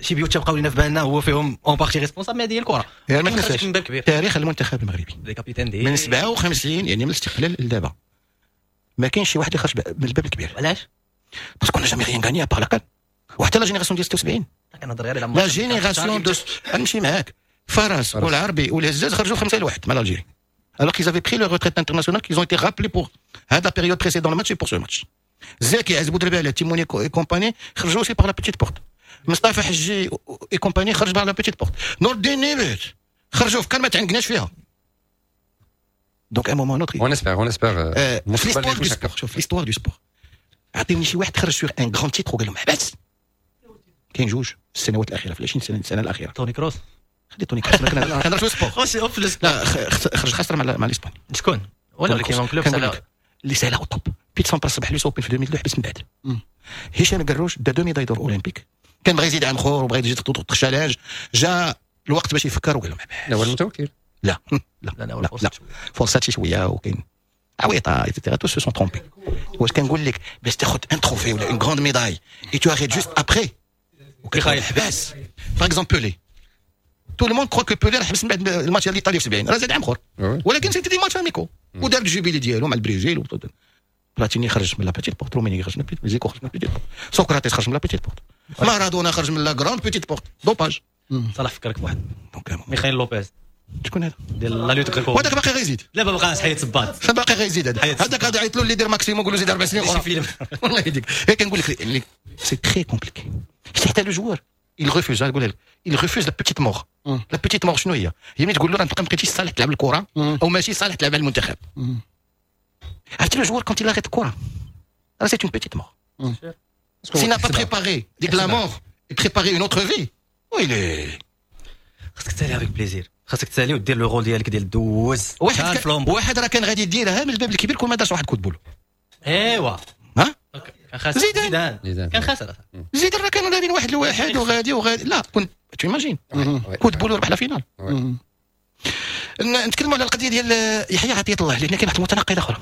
E: شي بيوت تبقاو لنا في بالنا هو فيهم en partie responsable، mais هذه هي الكره.
B: يعني ما تنساش تاريخ المنتخب المغربي
E: des capitaines des
B: من 57، يعني من الاستقلال لدابا، ما كاينش شي واحد اللي خرج من الباب الكبير.
E: علاش؟
B: parce qu'on n'a jamais rien gagné à part la CAN، وحتى la génération ديال 76.
E: كنهضر غير
B: على la génération de نمشي معاك، فراس والعربي والهزاز خرجوا 5-1 مع l'Algérie alors qu'ils avaient pris leur retraite internationale، qu'ils ont été rappelés pour la période précédente le match et pour ce match. زكي، عز بودربالة، تيموني et compagnie خرجوا aussi par la petite porte. مصطفى حجي et compagnie خرج par la petite porte. نور الدين نيبت خرجوا في CAN ما تعنقناش فيها. donc à un moment autre
D: on espère، on espère.
B: في l'histoire du sport، شوف l'histoire du sport. عطيوني شي واحد خرج sur un grand titre وقال لهم حبس. كاين جوج في السنوات الاخيرة، في 20 سنة الاخيرة.
E: توني كروس.
B: خلي توني كروس، كنهضر في ال sport. لا، خرج خسر مع الاسبان.
E: شكون؟ ولا كاين club
B: اللي سالا au top. بيت سامبراس ربح l'US Open في 2002، حبس من بعد. هشام الكروج دا deux médailles d'or olympiques، كان بغى يزيد عام اخر وبغى يزيد challenge، جا الوقت باش يفكر وقال لهم
D: لا هو المتوكل.
B: لا لا لا لا، لا فرصات شي شوية وكاين عويطه et cetera، tous se sont trompés. واش كنقول لك؟ باش تاخذ un trophée ولا une grande médaille et tu arrêtes juste après وكيخايل حباس. par exemple Pelé، tout le monde croit que Pelé راه حبس من بعد الماتش ديال ايطاليا في 70، راه زاد عام اخر، ولكن c'était des matchs amicaux ودار ال jubilé ديالو مع البرازيل. بلاتيني خرج من la petite porte، روميني خرج من la petite، زيكو خرج من la petite porte، سقراطيس خرج من la petite porte، مارادونا خرج من la grande petite porte، dopage.
E: صلاح فكرك بواحد، ميخائيل لوبيز.
B: شكون هذا؟
E: ديال la lutte gréco.
B: وهذاك باقي غيزيد.
E: لا، ما بقاش، حيد صباط.
B: باقي غيزيد هذا. هذاك غادي يعيط له اللي يدير maximum، نقول له زيد 4 سنين اخرى. والله يهديك، هي كنقول لك c'est très compliqué. حتى le joueur il refuse، نقول لك il refuse la petite mort. la petite mort شنو هي؟ هي ملي تقول له راه انت ما بقيتيش صالح تلعب الكره او ماشي صالح تلعب على المنتخب. عرفتي le joueur quand il arrête الكره راه c'est une petite mort. S'il n'a pas préparé ديك la mort et préparé une autre vie، ويلي.
E: خاصك تسالي avec plaisir، خاصك تسالي ودير le rôle ديالك ديال دوز.
B: واحد راه كان غادي يديرها من الباب الكبير كون ما دارش واحد coup de boule.
E: ايوا.
B: ها
E: كان خاسر.
B: زيدان.
E: زيدان كان خاسر.
B: زيدان راه كانوا دايرين 1-1 وغادي وغادي، لا كنت tu imagines coup de boule ربح la finale. نتكلموا على القضية ديال يحيى عطية الله، لان كاين واحد المتناقضه اخرى.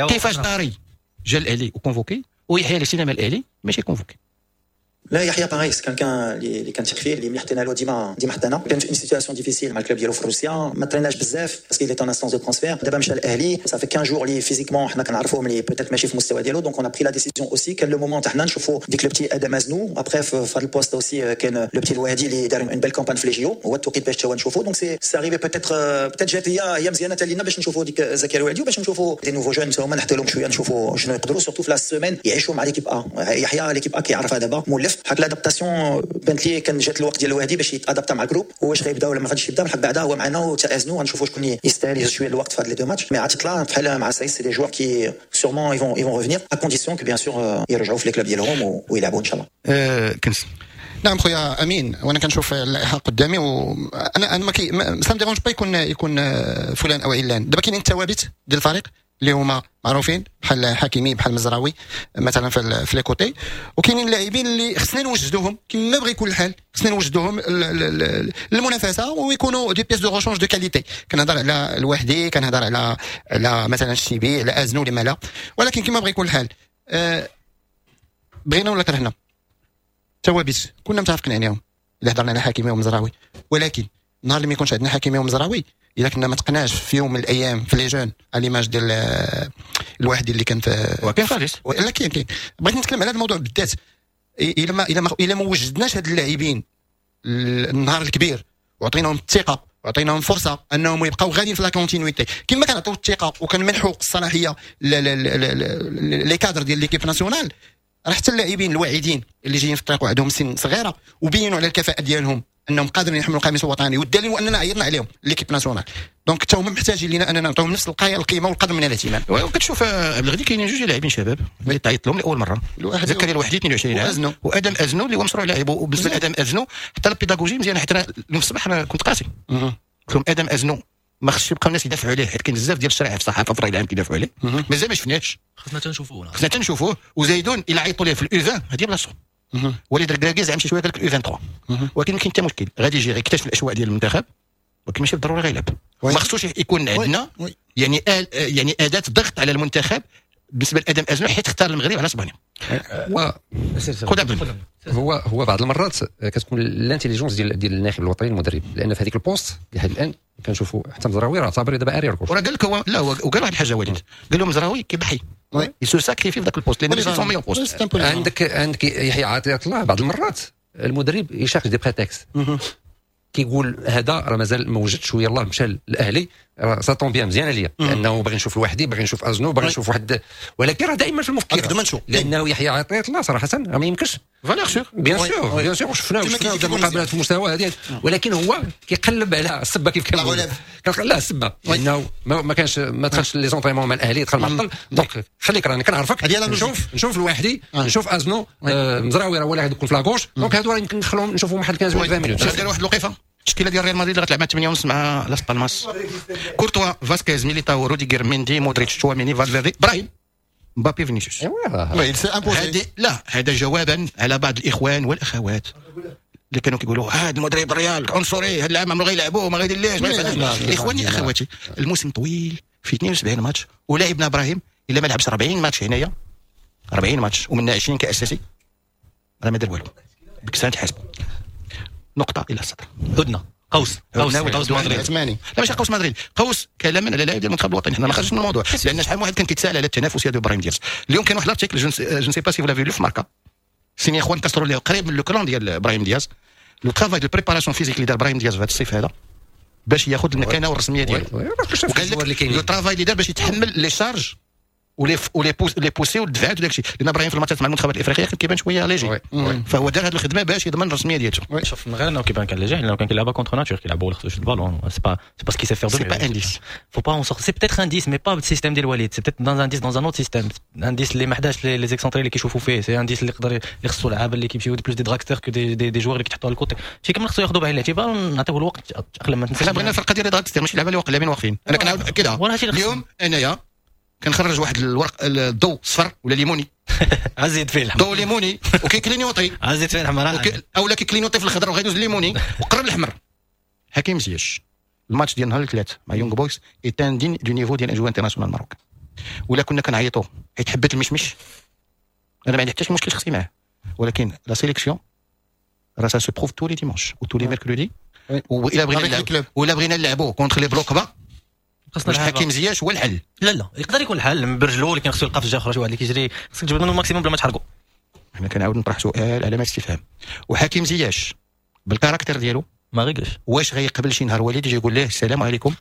B: كيفاش طاري جا الاهلي و convoqué ويحيى اللي سينما الاهلي ماشي convoqué؟
A: لا، يحيى pareil، c'est quelqu'un اللي كنثق فيه، اللي ملي حطينا له ديما ديما حطينا. كان في une situation difficile مع ال club ديالو في روسيا، ما تريناش بزاف parce qu'il est en instance de transfert. دابا مشى الاهلي، ça fait 15 jours اللي physiquement حنا كنعرفوه ملي peut-être ماشي في المستوى ديالو، donc on a pris la décision aussi. كان le moment تاعنا نشوفوا ديك le petit ادم ازنو. après في هذا ال poste aussi كان le petit الوادي اللي دار une belle campagne في les JO، هو التوقيت باش نشوفوا. donc c'est arrivé peut-être جات هي مزيانه حتى لينا باش نشوفوا ديك زكريا الوادي وباش نشوفوا des nouveaux jeunes هما، نحطوا لهم شويه، نشوفوا شنو يقدروا، surtout في la semaine يعيشوا مع l'équipe A. يحيى l'équipe A كيعرفها دابا مولف، حق l'adaptation بانت لي كان جات الوقت ديال الوهدي باش يتادابتا مع ال groupe. واش غيبدا ولا ما غاديش يبدا؟ بالحق بعدا هو معنا وتازنوا، غنشوفوا شكون يستاهل يهز شوية الوقت في هاد les deux matchs. mais عطيت الله بحال مع سايس، c'est des joueurs qui sûrement ils vont revenir à condition que bien sûr يرجعوا في les clubs ديالهم ويلعبوا ان شاء الله.
B: كنس.
C: نعم خويا امين، وانا كنشوف اللائحة قدامي وانا ما كي ça me dérange pas يكون فلان او علان. دابا كاينين الثوابت ديال الفريق اللي هما معروفين، بحال حكيمي، بحال مزراوي مثلا في les côtés، وكاينين اللاعبين اللي خصنا نوجدوهم كما بغى يكون الحال، خصنا نوجدوهم للمنافسة ويكونوا des pièces de rechange de qualité. كنهضر على الوحدي، كنهضر على مثلا الشيبي، على ازنو، لما لا. ولكن كما بغى يكون الحال، بغينا ولا كرهنا، ثوابت كنا متفقين عليهم الا هضرنا على حكيمي ومزراوي. ولكن النهار اللي ما يكونش عندنا حكيمي ومزراوي، الا كنا ما تقناش في يوم من الايام في les jeunes، à l'image ديال الواحد اللي كان في
B: وكاين فارس.
C: لا، كاين. بغيت نتكلم على هذا الموضوع بالذات. الا ما وجدناش هاد اللاعبين النهار الكبير وعطيناهم الثقة وعطيناهم فرصة انهم يبقاو غاديين في la continuité، كما كنعطيو الثقة وكنمنحوا الصلاحية les cadres ديال l'équipe nationale، راه حتى اللاعبين الواعدين اللي جايين في الطريق وعندهم سن صغيرة وبينوا على الكفاءة ديالهم انهم قادرين يحملوا القميص الوطني، والدليل هو اننا عيطنا عليهم l'équipe nationale، donc حتى هما محتاجين لنا اننا نعطيهم نفس القيمة والقدر من الاهتمام.
B: وكتشوف عبد الغني، كاينين جوج لاعبين شباب اللي تعيط لهم لاول مره، زكريا الوحدي 22 عام وادم ازنو اللي هو مشروع لاعب. وبالنسبة لادم ازنو حتى البيداغوجي مزيان، حتى اليوم الصباح انا كنت قاسي، قلت لهم ادم ازنو ما خصش يبقاو الناس يدافعوا عليه، حيت كاين بزاف ديال الشرائح في الصحافه، في الراي العام كيدافعوا عليه. مازال ما شفناهش.
E: خصنا تنشوفوه.
B: خصنا تنشوفوه. وزيدون الى عيطوا ليه في ال U 20 هذه بلاصتو. وليد الركراكي زعما شي شوية قال لك ال U 23، ولكن ما كاين حتى مشكل، غادي يجي يكتشف الاجواء ديال المنتخب، ولكن ماشي بالضرورة غيلعب. ما خصوش يكون عندنا يعني اداه ضغط على المنتخب بالنسبة لادم ازنو، حيت اختار المغرب على اسبانيا. خذ عبد.
D: هو بعض المرات كتكون l'intelligence ديال الناخب الوطني المدرب، لان في هذيك ال poste لحد الان كنشوفوا حتى مزراوي راه اعتبر دابا arrière gauche.
B: وراه قال لك هو، لا، هو وقال واحد الحاجة وليد، قال له مزراوي كيضحي، il se sacrifie في ذاك ال poste لان ماشي son meilleur poste.
D: عندك يحيى عطية الله، بعض المرات المدرب يشارش des prétextes، كيقول هذا راه مازال ما وجدش ويلاه مشى للاهلي. ça tombe bien، مزيانه ليا، لانه باغي نشوف الوحدي، باغي نشوف ازنو، باغي نشوف واحد، ولكن راه دائما في المفكره، لانه يحيى عطية الله صراحة ما يمكنش.
B: valeur sûre.
D: bien sûr، bien sûr، شفنا مقابلات في المستوى هذه، ولكن هو كيقلب على السبه، كيف كنقول لا السبه، لانه ما كانش، ما دخلش les entraînements مع الاهلي، دخل معطل. donc خليك، راني كنعرفك، نشوف الواحدي، نشوف ازنو، مزراوي راه هو اللي غادي يكون في la gauche. donc هادو راه يمكن ندخلهم نشوفهم واحد 15 ولا 20 minutes.
B: دير واحد الوقيفه، التشكيلة ديال ريال مدريد اللي غتلعب مع 8 ونص مع لاس بالماس: كورتوا، فاسكيز، ميليتاو، روديغر، ميندي، مودريتش، تشواميني، فالفيردي، براهيم، مبابي، فينيسيوس. هذه لا، هذا جوابا على بعض الاخوان والاخوات اللي كانوا كيقولوا هذا المدرب الريال عنصري، هذا العام ما غيلعبوه، ما غيدير ليش. اخواني اخواتي، الموسم طويل في 72 ماتش، ولاعبنا ابراهيم الا ما لعبش 40 ماتش هنايا، 40 ماتش ومن 20 كاساسي، راه ما دار والو. ديك الساعة تحاسبوا. نقطة الى السطر.
E: هدنه، قوس قوس قوس مدريد.
B: لا، ماشي قوس مدريد، قوس كلاما على لاعب ديال المنتخب الوطني. حنا ما خرجش من الموضوع، لان شحال من واحد كان كيتساءل على التنافسية ديال ابراهيم دياز. اليوم كان واحد l'article، je sais pas si vous l'avez lu، في ماركا، signé خوان كاسترو اللي قريب من le clan ديال ابراهيم دياز. le travail de préparation physique اللي دار ابراهيم دياز في هذا الصيف هذا باش ياخذ المكانة الرسمية ديالو، وقال لك le travail اللي دار باش يتحمل les charges و les poussées والدفعات وداك الشيء، لان ابراهيم في الماتشات مع المنتخبات الافريقية كان كيبان شوية léger، فهو دار هذه الخدمة باش يضمن الرسمية ديالته.
E: شوف، من غير انه كيبان كان léger، لانه كان كيلعبها contre nature، كيلعبوا خصو يشد ال ballon، c'est pas ce qu'il sait faire de
B: c'est pas un 10.
E: faut pas en sortir. c'est peut-être un 10 mais pas بال système ديال وليد، c'est peut-être dans un 10 dans un autre système، un 10 اللي ما حداش les excentrés اللي كيشوفوا فيه. c'est un 10 اللي يقدر، اللي خصو لعابه اللي كيمشيو plus des dragsters que des joueurs اللي كيتحطوا على ال côté. شي كامل خصو ياخذوا بعين الاعتبار، نعطيوه الوقت تاقلم، ما تنساش.
B: حنا بغينا الفرقة ديال dragsters، ماشي اللعابه اللي واقفين واقفين. انا كنعاود كده، اليوم انايا كنخرج واحد الورق، الضوء صفر ولا ليموني.
E: عزيد فيه الحمر.
B: ضوء ليموني وكي clignoter.
E: عزيد فيه الحمر.
B: او لا كي clignoter في الخضر وغيدوز الليموني وقرب الاحمر. حكيم زياش، الماتش ديال نهار الثلاث مع يونغ بويز est indigne du niveau ديال un joueur international marocain. ولا كنا كنعيطوا حيت حبيت المشمش، انا ما عندي حتى شي مشكل شخصي معاه، ولكن la sélection راه ça se prouve tous les dimanches و tous les mercredis. والا بغينا ولا بغينا نلعبوا contre les blocs bas،
E: خاصنا
B: حكيم زياش هو الحل.
E: لا لا، يقدر يكون الحل برجلو، ولكن خصو يلقى في الجهة اخرى شي واحد اللي كيجري، خصك تجبد منه ال maximum بلا ما تحرقو.
B: حنا كنعاود نطرح سؤال علامة استفهام، وحكيم زياش بال caractère ديالو
E: ما غيقلش.
B: واش غيقبل شي نهار وليد يجي يقول ليه السلام عليكم،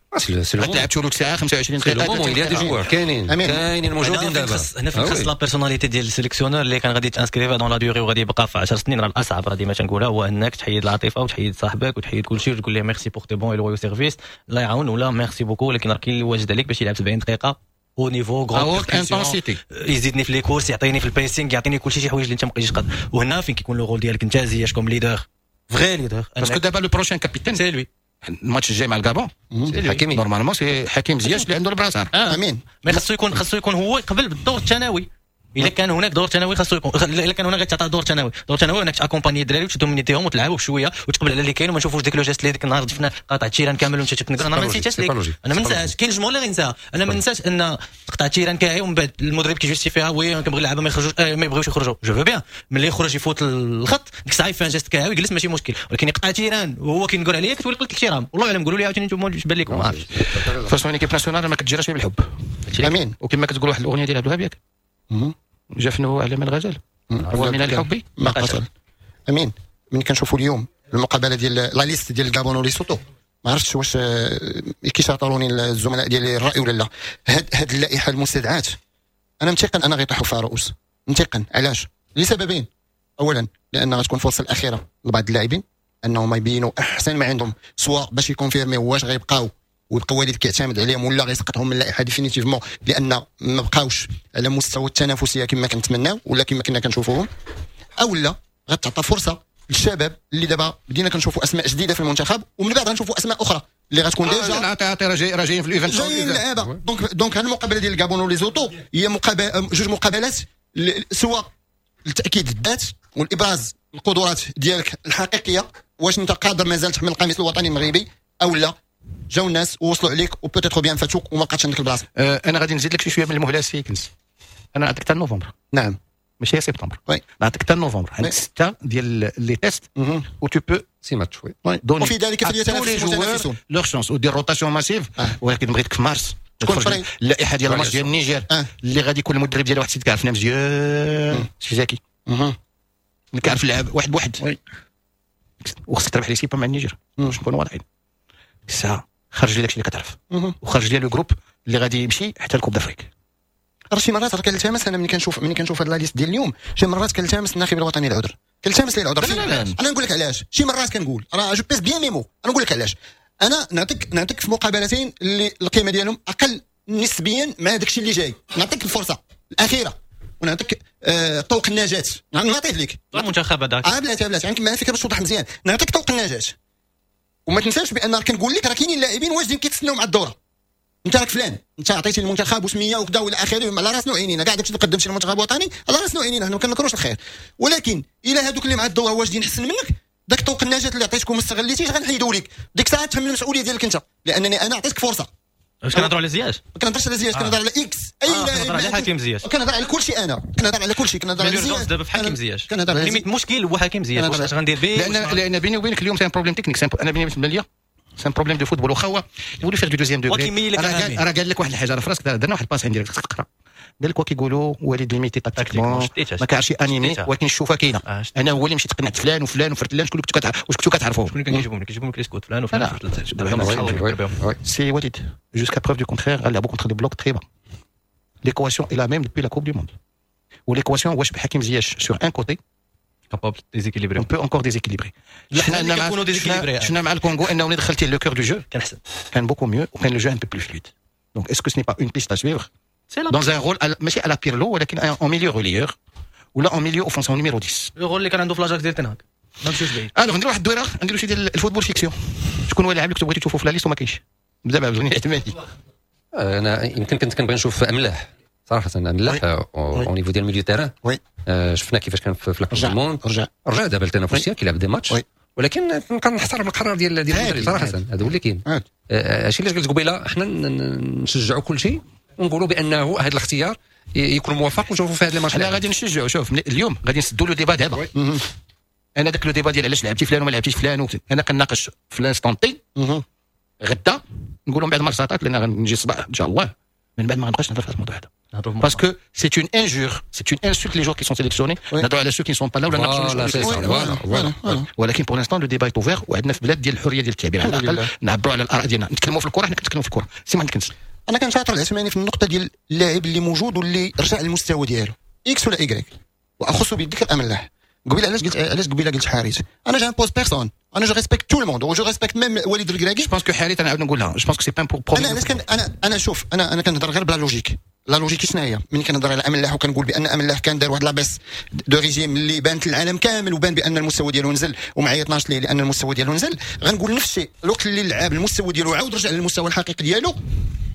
B: لعبتوا له ساعة 25
D: دقيقه؟ il y a des joueurs كاينين كاينين موجودين دابا.
E: هنا فين خص la personnalité ديال ال sélectionneur اللي كان غادي ت inscrire dans la durée وغادي يبقى في 10 سنين. راه الاصعب، راه ديما تنقولها، هو انك تحيد العاطفة وتحيد صاحبك وتحيد كل شيء وتقول له merci pour tes bons et loyaux services، الله يعاون، ولا merci beaucoup، ولكن راه كاين اللي واجد عليك باش يلعب 70 دقيقة au niveau
B: grande intensité،
E: يزيدني في les courses، يعطيني في ال pressing، يعطيني كل شيء، شي حوايج اللي انت ما بقيتيش قادر. وهنا فين كيكون le rôle ديالك انت زياش comme leader، vrai leader.
B: parce que دابا le prochain capitaine
E: c'est lui.
B: الماتش الجاي مع الكابون
D: حكيمي.
B: normalement c'est حكيم زياش اللي عنده ال brassard.
C: امين.
E: mais خصو يكون هو قبل بالدور الثانوي، الا كان هناك دور ثانوي خاصو يكون، الا كان هناك تعطى دور ثانوي، دور ثانوي انك ت accompagner الدراري وتدومينيتيهم وتلعبوا بشوية وتقبل على اللي كاين، وما نشوفوش ديك le geste اللي ديك النهار شفنا قاطع terrain كامل وانت تتنقر. انا ما نسيتهاش ليك، انا ما ننساهاش، كاين الجمهور اللي غينساها. انا ما ننساش ان تقطع terrain كاعي ومن بعد المدرب كي justifie ها: oui، كنبغي اللعابه ما يخرجوش، ما يبغيوش يخرجوا. je veux bien، ملي يخرج يفوت الخط ديك الساعة يفان geste كاعي ويجلس، ماشي مشكل، ولكن يقطع terrain وهو كينقول عليا كتولي قلت الاحترام. والله اعلم، قولوا لي عاوتاني انتم واش بان لكم، ما عرفتش.
B: façon équipe nationale ما كتجراش بالحب.
C: امين.
B: وكما كتقول واحد الاغنية ديال عبد الوهاب، ياك؟ جفنه على من الغزال ومن الحب
C: ما قتل. امين، من كنشوفوا اليوم المقابلة ديال la liste ديال الكابون وليسوتو، ما عرفتش واش كيشاطروني الزملاء ديالي الراي ولا لا، هاد اللائحة المستدعات انا متيقن انا غيطيحوا فيها رؤوس، متيقن. علاش؟ لسببين: اولا لان غتكون الفرصة الاخيرة لبعض اللاعبين انهم يبينوا احسن ما عندهم، سواء باش ي confirmer واش غيبقاو ويبقى وليد كيعتمد عليهم ولا غيسقطهم من اللائحة définitivement، لان ما بقاوش على مستوى التنافسية كما كنتمناو ولا كما كنا كنشوفوهم، او لا غتعطى فرصة للشباب اللي دابا بدينا كنشوفوا اسماء جديدة في المنتخب، ومن بعد غنشوفوا اسماء اخرى اللي غتكون déjà
B: راه جايين في ال event.
C: جايين لعابه. donc هذه المقابلة ديال الكابون وليزوتو هي مقابله، جوج مقابلات، سواء التاكيد الذات والابراز القدرات ديالك الحقيقيه، واش انت قادر مازال تحمل القميص الوطني المغربي او لا جاو الناس ووصلوا عليك و peut-être bien فاتوك وما بقاتش عندك البلاصه.
B: انا غادي نزيد لك شي شوية من المهلة سي كنز، انا نعطيك حتى نوفمبر.
C: نعم.
B: ماشي سبتمبر.
C: oui.
B: نعطيك حتى نوفمبر، عندك ستة ديال les tests و tu peux
D: six matchs، oui.
C: وفي ذلك فليتنافس المتنافسون.
B: leur chance ودير rotation massive، ولكن بغيتك في مارس
C: تكون
B: اللائحة ديال الماتش ديال النيجر اللي غادي يكون المدرب ديالها واحد السيد كيعرفنا مزيان، سي زكي، اللي كيعرف اللعب واحد بواحد، وخصك تربح les six points مع النيجر باش نكونوا واضحين. الساعة خرج لي داكشي اللي كتعرف وخرج لي le groupe اللي غادي يمشي حتى ال Coupe d'Afrique.
C: راه شي مرات راه كنلتمس انا ملي كنشوف هاد la liste ديال اليوم، شي مرات كنلتمس الناخب الوطني العذر، كنلتمس ليه العذر.
B: لا لا لا.
C: انا نقول لك علاش. شي مرات كنقول راه je pèse bien mes mots. انا نقول لك علاش. انا نعطيك في مقابلتين اللي القيمة ديالهم اقل نسبيا مع داك الشيء اللي جاي، نعطيك الفرصة الاخيرة ونعطيك طوق النجاة، نعطيه لك.
E: المنتخب هذاك.
C: اه بلاتي بلاتي، عندك معايا فكرة باش توضح مزيان. نعطيك طوق النجاة وما تنساش بان راه كنقول لك راه كاينين لاعبين واجدين كيتسناو مع الدوره. انت راك فلان، انت عطيتي المنتخب وسميه وكذا والى اخره، على راسنا وعينينا، كاع داكشي اللي قدمتي للمنتخب الوطني على راسنا وعينينا، حنا ما كنكروش الخير. ولكن الى هذوك اللي مع الدورة واجدين حسن منك، داك طوق النجاة اللي عطيتكم ما استغليتيش غنحيدوا لك ديك الساعه، تحمل المسؤولية ديالك انت، لانني انا عطيتك فرصه.
E: واش كنهضروا على زياش؟
C: ما كنهضرش على زياش، كنهضر على X اي لاعب.
E: كنهضر على حكيم زياش.
C: كنهضر على كل شيء، انا كنهضر على كل شيء، كنهضر على زياش.
E: دابا في حكيم زياش
C: كنهضر على
E: limite المشكل هو حكيم زياش، واش غندير به؟
B: لان بيني وبينك اليوم c'est un problème technique، انا بالنسبة ليا c'est un problème de football. واخا هو يقولوا faire du deuxième degré، راه قال لك واحد الحاجه، راه في راسك درنا واحد ال passe عندي تقرا، قال لك كيقولوا وليد limité tactiquement، ما كيعرفش animer، ولكن الشوفه كاينه. انا هو اللي مشيت قنعت فلان وفلان وفرتلان. شكون كنتو واش كنتو كتعرفوهم؟
E: شكون اللي كان كيجيبهم لك les scouts؟ فلان
B: وفلان. سي وليد jusqu'à preuve du contraire غنلعبوا contre des blocs très bas. L'équation est la même depuis la Coupe du Monde. و l'équation واش بحكيم زياش sur un côté
E: capable déséquilibrer.
B: on peut encore déséquilibrer. شفنا مع الكونغو انه ملي دخلتي le cœur du jeu
E: كان احسن.
B: كان beaucoup mieux وكان le jeu un peu plus fluide. donc est-ce que ce n'est pas une piste à suivre dans un rôle ماشي à la Pirlo ولكن en milieu relayeur ولا en milieu offensif numéro 10؟
E: le rôle اللي كان عنده في l'Ajax ديال تنهاك، ما نمشيوش بعيد.
B: alors ندير واحد الدويره، نديرو شي ديال ال football fiction. شكون هو اللاعب اللي كنتو بغيتو تشوفوا في la liste وما كاينش؟ بدا مع بغيني اعتمادي.
D: انا يمكن كنت كنبغي نشوف املاح صراحه، املاح au niveau ديال milieu terrain. شفنا كيفاش كان في la Coupe du Monde.
C: رجع.
D: رجع دابا لتنافسيه، كيلعب des matchs، ولكن كنحترم القرار ديال المدرب صراحه، هذا هو اللي كاين. هادشي اللي قلت قبيله، حنا نشجعوا كل شيء ونقولوا بانه هذا الاختيار يكون موفق ونشوفوا في هذا الماتش.
B: حنا غادي نشجعوا. شوف، اليوم غادي نسدوا le débat دابا. انا داك le débat ديال علاش لعبتي فلان وما لعبتيش فلان، انا كناقش في l'instant T. غدا نقولوا من بعد ماتش، لان غنجي الصباح ان شاء الله، من بعد ما غنبقاش نهضر في هذا الموضوع هذا parce que c'est une injure، c'est une insulte les joueurs qui sont sélectionnés، نهضروا على ceux qui sont pas là ولا
D: ناقشوا.
B: ولكن pour l'instant le débat est ouvert، وعندنا في بلاد ديال الحرية ديال التعبير، على الاقل نعبروا على الاراء ديالنا. نتكلموا في الكره، حنا كنتكلموا في الكره. سي ما عندك.
C: انا كنشاطر العثماني في النقطة ديال اللاعب اللي موجود واللي رجع للمستوى ديالو X ولا Y، واخص بالذكر املاح. قبيلة علاش قلت، علاش قبيلة قلت حارث؟ انا j'impose personne، انا je respecte tout le monde و je respecte même وليد الكراكي.
B: je pense que حارث، انا عاود نقولها، je pense que c'est pas un
C: انا علاش كان انا شوف، انا كنهضر غير ب la logique. la logique شنو هي؟ ملي كنهضر على املاح وكنقول بان املاح كان دار واحد la baisse de régime اللي بانت للعالم كامل، وبان بان المستوى ديالو نزل، وما عيطناش ليه لان المستوى ديالو نزل. غنقول نفس الشيء الوقت اللي اللعاب المستوى ديالو عاود رجع للمستوى الحقيقي ديالو،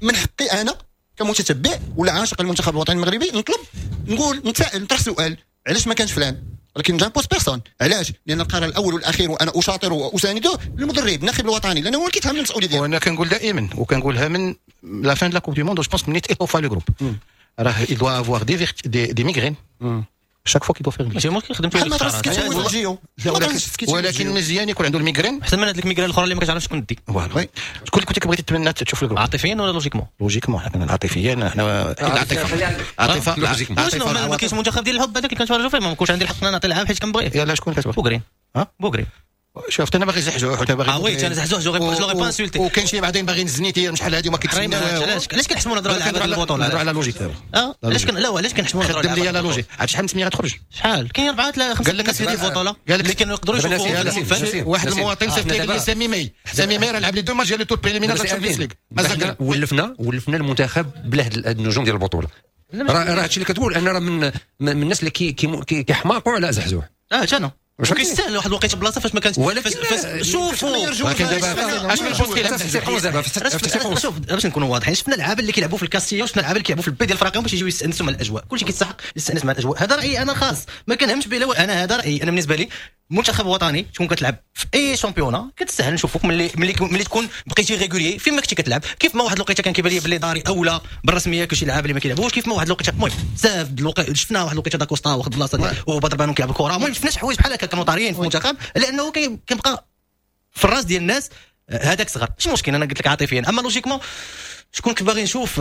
C: من حقي انا كمتتبع ولا عاشق المنتخب الوطني المغربي نطلب، نقول، نتساءل، نطرح سؤال: علاش ما كانش فلان؟ ولكن j'impose personne. علاش؟ لان القرار الاول والاخير، وانا اشاطره واسانده، المدرب الناخب الوطني، لانه هو اللي كيتحمل المسؤولية ديالو.
B: وانا كنقول دائما وكنقولها من la fin de la Coupe du Monde، je pense مني étoffa le groupe، راه il doit avoir des migraines chaque fois qu'il doit faire.
E: ماشي مشكل، خدمت.
C: بحال ما ترسكيتي.
B: ولكن مزيان يكون عنده ال migraine.
E: احسن من هذيك ال migraine الاخرى اللي ما كتعرفش شكون دي.
B: voilà. شكون اللي كنت بغيتي تتمنى تشوف ال groupe؟
E: عاطفيا ولا logiquement؟
B: logiquement. حنا عاطفيا، حنا العاطفة عاطفه.
E: عاطفه. ما كاينش منتخب ديال الحب هذاك اللي كنتفرجوا فيه، ما كنتش عندي الحق نعطي العاب حيت كنبغيه.
B: يلا شكون كتبغي؟
E: بوغرين.
B: ها؟
E: بوغرين.
B: شفت، انا باغي زحزوح وانت باغي
E: اه oui، انا زحزوح je l'aurais pas insulté.
B: وكاين شي بعدين باغي الزنيتي شحال هذه وما
E: كيتسناو. علاش كنحشموا نهضروا على لعابه البطوله؟
B: نهضروا على logique دابا.
E: اه علاش لا، علاش كنحشموا
B: نهضروا؟ خدم لي la logique. عرفت شحال من سميه غتخرج؟
E: شحال كاين؟ اربعه لا خمسة
B: قال لك
E: ديال البطولة اللي كانوا يقدروا
B: يشوفوهم. واحد المواطن صيفط لي سامي ماي، سامي ماي راه لعب les deux matchs ديال le tour préliminaire
D: Champions League. ولفنا المنتخب بلا هاد النجوم ديال البطوله. راه هادشي اللي كتقول، انا راه من الناس اللي كيحماقوا على زحزوح.
E: اه انا كيستاهل واحد الوقيته بلاصة فاش ما كانت.
D: ولكن
E: شوفوا
B: ولكن دابا اش من poste كيلعب؟
D: دابا؟
E: شوف، باش نكونوا واضحين، شفنا اللعابه اللي كيلعبوا في الكاستيا وشفنا اللعابه اللي كيلعبوا في ال B ديال الفراقيهم باش يجيو يستانسوا مع الاجواء. كلشي كيستحق يستانس مع الاجواء. هذا رايي انا خاص، ما كنهمش به. انا هذا رايي انا. بالنسبة لي منتخب وطني تكون كتلعب في اي championnat كتستاهل نشوفوك ملي تكون بقيتي régulier فين ما كنتي كتلعب. كيف ما واحد الوقيته كان كيبان لي بلي داري اولى بالرسميه كشي لعاب اللي ما كيلعبوش. كيف ما واحد الوقيته، المهم بزاف الوقت شفنا واحد الوقيته داكوستا واخد بلاصة وبدر بانون كيلعب الكره. المهم شفنا شي حوايج بحال هكا كانوا طاريين في المنتخب، لانه كيبقى في الراس ديال الناس هذاك صغر. ماشي مشكل، انا قلت لك عاطفيا. اما logiquement شكون كنت باغي نشوف؟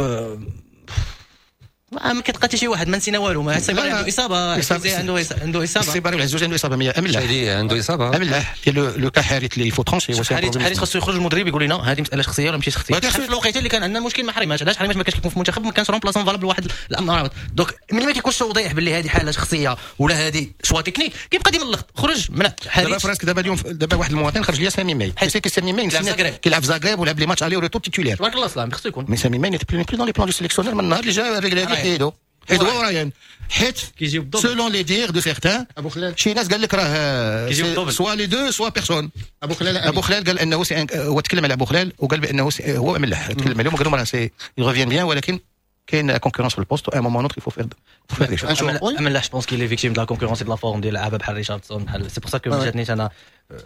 E: ما كتلقى حتى شي واحد، ما نسينا والو، ما السيباري عنده اصابه، عنده اصابه،
B: السيباري والعزوزي عنده اصابه، املاح
D: عنده اصابه،
B: املاح ديال le cas حارث اللي faut trancher.
E: حارث خاصو يخرج المدرب يقول لنا هذه مسالة شخصية ولا ماشي شخصية. في الوقيته اللي كان عندنا المشكل مع حريمات، علاش حريمات ما كانش كيكون في المنتخب، ما كانش remplaçant valable واحد الامر. donc ملي ما كيكونش توضيح باللي هذه حاله شخصية ولا هذه choix technique، كيبقى ديما اللخط. خرج من
B: حارث. دابا فراسك دابا اليوم دابا واحد المواطن خرج لي سامي ماي، حيت سامي ماي كيلعب في زاغريب ولعب les matchs aller-retour titulaire،
E: تبارك الله سلام خصو يكون.
B: mais سامي ماي n'est plus dans les plans du sélectionneur من النهار اللي جا الرجل حيدو حيدو رايان، حيت selon les dires de certains
C: ابو خلال،
B: شي ناس قال لك راه soit les deux soit personne.
C: ابو خلال،
B: ابو خلال قال انه هو تكلم على ابو خلال وقال بانه هو ملاح، تكلم عليهم وقال لهم راه c'est revient bien، ولكن كاين concurrence في ال poste، un moment autre il faut faire.
E: املاح je pense qu'il est victime de la concurrence، de la forme ديال لعابه بحال ريشاردسون، بحال c'est pour ça que جاتني انا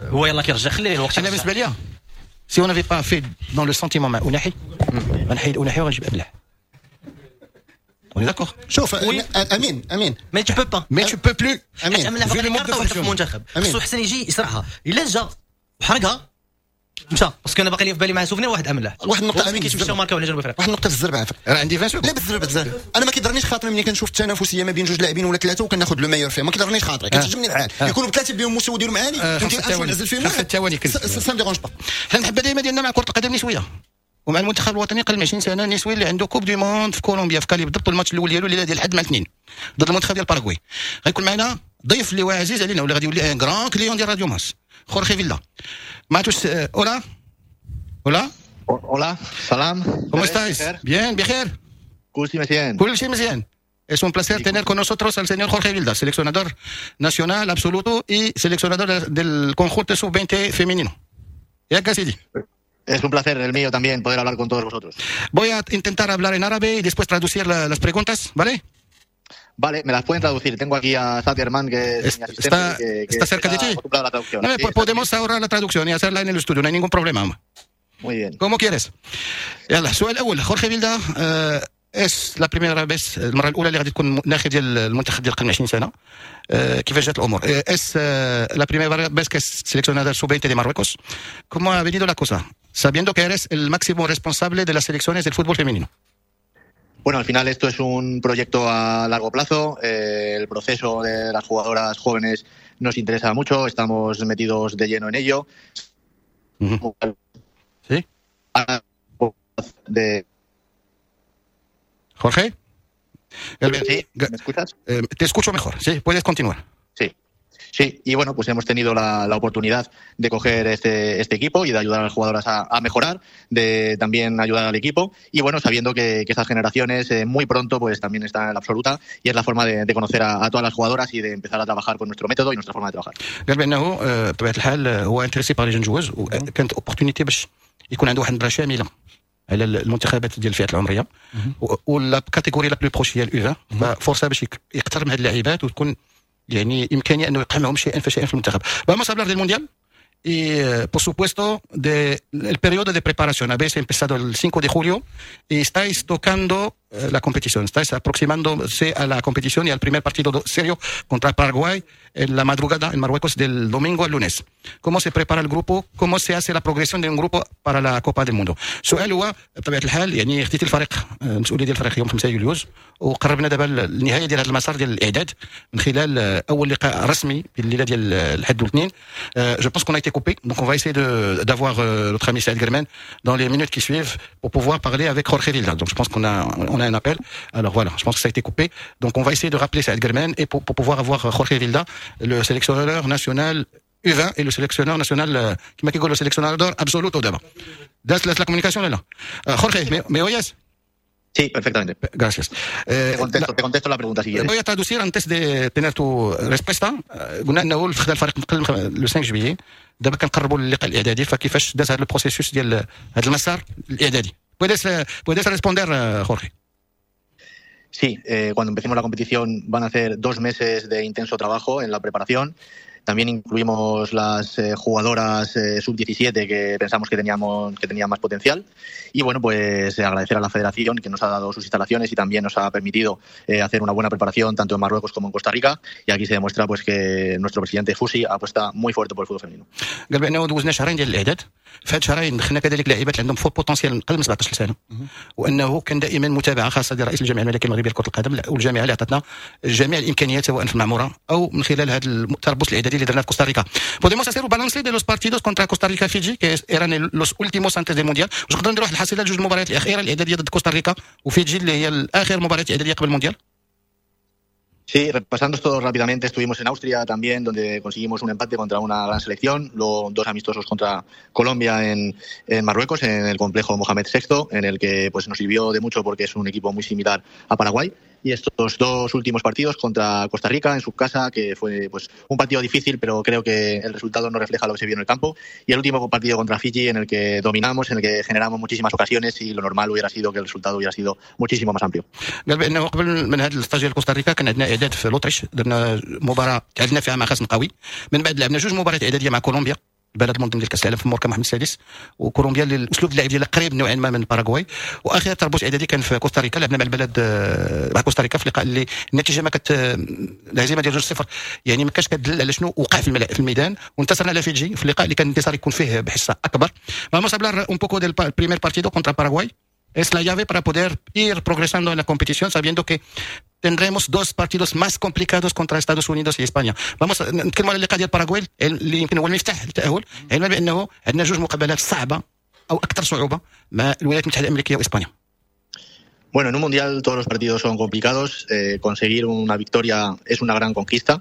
E: هو يلاه كيرجع، خليه الوقت.
B: انا بالنسبة ليا si on avait pas fait dans le sentiment مع اوناحي، غنحيد اوناحي وغنجيب املاح. On est d'accord.
C: شوف امين امين.
E: mais tu peux pas.
B: mais tu peux plus.
C: امين.
E: امين في المنتخب خصو حسن يجي يسرعها، الا جا وحرقها مشى، parce que انا باقي لي في بالي مع souvenir واحد املاح.
C: واحد النقطة
E: امين، كيتمشاو ماركاو على جنوب افريقيا.
C: واحد النقطة بالزربه عافاك.
B: راه عندي 20.
C: لا بالزربه بزاف. انا ما كيضرنيش خاطري ملي كنشوف التنافسية ما بين جوج لاعبين ولا ثلاثة وكناخذ le meilleur فيها، ما كيضرنيش خاطري، كتعجبني الحال يكونوا بثلاثة بهم مستوى ديالهم عالي،
B: فهمتي،
C: نعزل فيهم.
B: 5 ثواني.
C: ça me dérange pas.
B: حنا المحبة دائما ديالنا مع كره القدم النسوية ومع المنتخب الوطني قل من 20 سنة النسوي اللي عنده Coupe du Monde في كولومبيا في كالي بالضبط، الماتش الاول ديالو الليلة ديال الحد مع الاثنين ضد المنتخب ديال باراغواي. غيكون معنا ضيف اللي هو عزيز علينا واللي غادي يولي un grand client ديال راديو مارس، خورخي فيلا ماتوس. hola hola.
F: hola، سلام.
B: ¿Cómo estáis? Bien, بخير؟
F: كلشي مزيان.
B: كلشي مزيان. Es un placer tener con nosotros al señor Jorge Vilda, seleccionador nacional absoluto y seleccionador del conjunto sub-20 femenino. ياك سيدي؟
F: Es un placer el mío también poder hablar con todos vosotros.
B: Voy a intentar hablar en árabe y después traducir las preguntas, ¿vale?
F: Vale, me las pueden traducir. Tengo aquí a Saad Germán, que es mi asistente. Que
B: está cerca de ti.
F: La traducción.
B: No,
F: sí,
B: podemos ahorrar la traducción y hacerla en el estudio, no hay ningún problema.
F: Muy bien.
B: Como quieres. يلا، السؤال الاول خورخي فيلدا، es la primera vez، المرة الاولى اللي غادي تكون ناخب ديال المنتخب ديال قبل 20 سنه، كيفاش جات الامور؟ es la primera vez que seleccionador sub-20 de Marruecos. ¿Cómo ha venido la cosa? Sabiendo que eres el máximo responsable de las selecciones del fútbol femenino.
F: Bueno, al final esto es un proyecto a largo plazo. El proceso de las jugadoras jóvenes nos interesa mucho. Estamos metidos de lleno en ello.
B: ¿Sí?
F: De
B: Jorge.
F: Sí, ¿me escuchas?
B: Te escucho mejor, sí, puedes continuar.
F: Sí. Sí, y bueno, pues hemos tenido la oportunidad de coger este equipo y de ayudar a las jugadoras a mejorar, de también ayudar al equipo y bueno, sabiendo que estas generaciones muy pronto pues también están en la absoluta y es la forma de conocer a todas las jugadoras y de empezar a trabajar con nuestro método y nuestra forma de trabajar.
B: قال بانه بطبيعة الحال هو intéressé par les jeunes joueuses، وكانت opportunité باش يكون عنده واحد النظرة شاملة على المنتخبات ديال الفئات العمريه، و la catégorie la plus proche هي ال U20، ففرصه باش يقترب من هذه اللاعبات وتكون يعني امكانية انه يقع معهم شيئا فشيئا في المنتخب. Vamos a hablar del mundial y por supuesto del de periodo de preparación. Habéis empezado el 5 de julio y estáis tocando la competición, estáis aproximándose a la competición y al primer partido serio contra Paraguay en la madrugada en Marruecos del domingo al lunes. ¿Cómo se prepara el grupo? ¿Cómo se hace la progresión de un grupo para la Copa del Mundo? السؤال هو بطبيعة الحال يعني خديتي الفريق، المسؤولية ديال الفريق يوم 5 يوليوز، وقربنا دابا النهاية ديال هذا المسار ديال الاعداد من خلال اول لقاء رسمي بالليله ديال الحد والاثنين. je pense qu'on a été coupé, donc on va essayer d'avoir notre ami Saïd Germain dans les minutes qui suivent pour pouvoir parler avec Jorge Vilda. Donc je pense qu'on a on a un appel. Alors voilà, je pense que ça a été coupé. Donc on va essayer de rappeler Saïd Germain et pour pouvoir avoir Jorge Vilda, le sélectionneur national U20 et le sélectionneur national كما كيقولوا sélectionneur absoluto دابا. دازت la communication là. Jorge, ¿me oyes?
F: Sí, perfectamente.
B: Gracias.
F: Te contesto la pregunta si quieres.
B: Voy a traducir antes de tener tu respuesta. قلنا انه خدا الفريق قبل le 5 juillet، دابا كنقربوا للقاء الاعدادي، فكيفاش داز هذا ال processus ديال هذا المسار الاعدادي؟ puedes responder, Jorge.
F: Sí, cuando empecemos la competición van a ser 2 meses de intenso trabajo en la preparación. También incluimos las jugadoras sub-17 que pensamos que tenían más potencial. Y bueno, pues agradecer a la federación que nos ha dado sus instalaciones y también nos ha permitido hacer una buena preparación tanto en Marruecos como en Costa Rica. Y aquí se demuestra pues que nuestro presidente Fusi apuesta muy fuerte por el fútbol femenino.
B: قال بانه دوزنا شهرين ديال الاعداد، في هاد شهرين دخلنا كذلك لاعبات عندهم fort potentiel اقل من 17 سنة، وانه كان دائما متابعه خاصة ديال رئيس الجامعة الملكية المغربية لكرة القدم والجامعة اللي عطتنا جميع الامكانيات سواء في المعمورة او من خلال هذا التربص الاعدادي اللي درناه في كوستاريكا. Podemos hacer un balance de los partidos contra Costa Rica, Fiji, que eran los últimos antes del mundial. واش نقدروا نديروا واحد الحصيلة لجوج المباريات الاخيرة الاعدادية ضد كوستاريكا وفيجي اللي هي الاخر مباريات الاعدادية قبل المونديال؟
F: Sí, repasando esto rápidamente, estuvimos en Austria también, donde conseguimos un empate contra una gran selección, luego dos amistosos contra Colombia en Marruecos, en el complejo Mohamed VI, en el que pues nos sirvió de mucho porque es un equipo muy similar a Paraguay. Y estos dos últimos partidos contra Costa Rica en su casa, que fue pues un partido difícil, pero creo que el resultado no refleja lo que se vio en el campo. Y el último partido contra Fiji, en el que dominamos, en el que generamos muchísimas ocasiones y lo normal hubiera sido que el resultado hubiera sido muchísimo más amplio.
B: قال بانه قبل من هذا ال stage ديال كوستاريكا كان عندنا اعداد في l'Autriche، درنا مباراة تعادلنا فيها مع خصم قوي، من بعد لعبنا جوج مباريات اعدادية مع كولومبيا البلد المنظم ديال كاس العالم في مركب محمد السادس، وكولومبيا اللي الاسلوب اللعب ديالها قريب نوعا ما من باراغواي. واخير تربص اعدادي كان في كوستاريكا، لعبنا مع البلد مع كوستاريكا في لقاء اللي النتيجة ما كت الهزيمة ديال 2-0 يعني ما كانش كتدل على شنو وقع في الميدان، وانتصرنا على فيجي في اللقاء اللي كان الانتصار يكون فيه بحصة اكبر. Vamos a hablar un poco del primer partido contra Paraguay. Es la llave para poder ir progresando en la competición, sabiendo que tendremos dos partidos más complicados contra Estados Unidos y España. Vamos نتكلموا على اللقاء ديال باراغواي اللي يمكن هو المفتاح للتأهل، علما بأنه عندنا جوج مقابلات صعبة أو أكثر صعوبة مع الولايات المتحدة الأمريكية وإسبانيا.
F: Bueno, en un mundial todos los partidos son complicados. Conseguir una victoria es una gran conquista.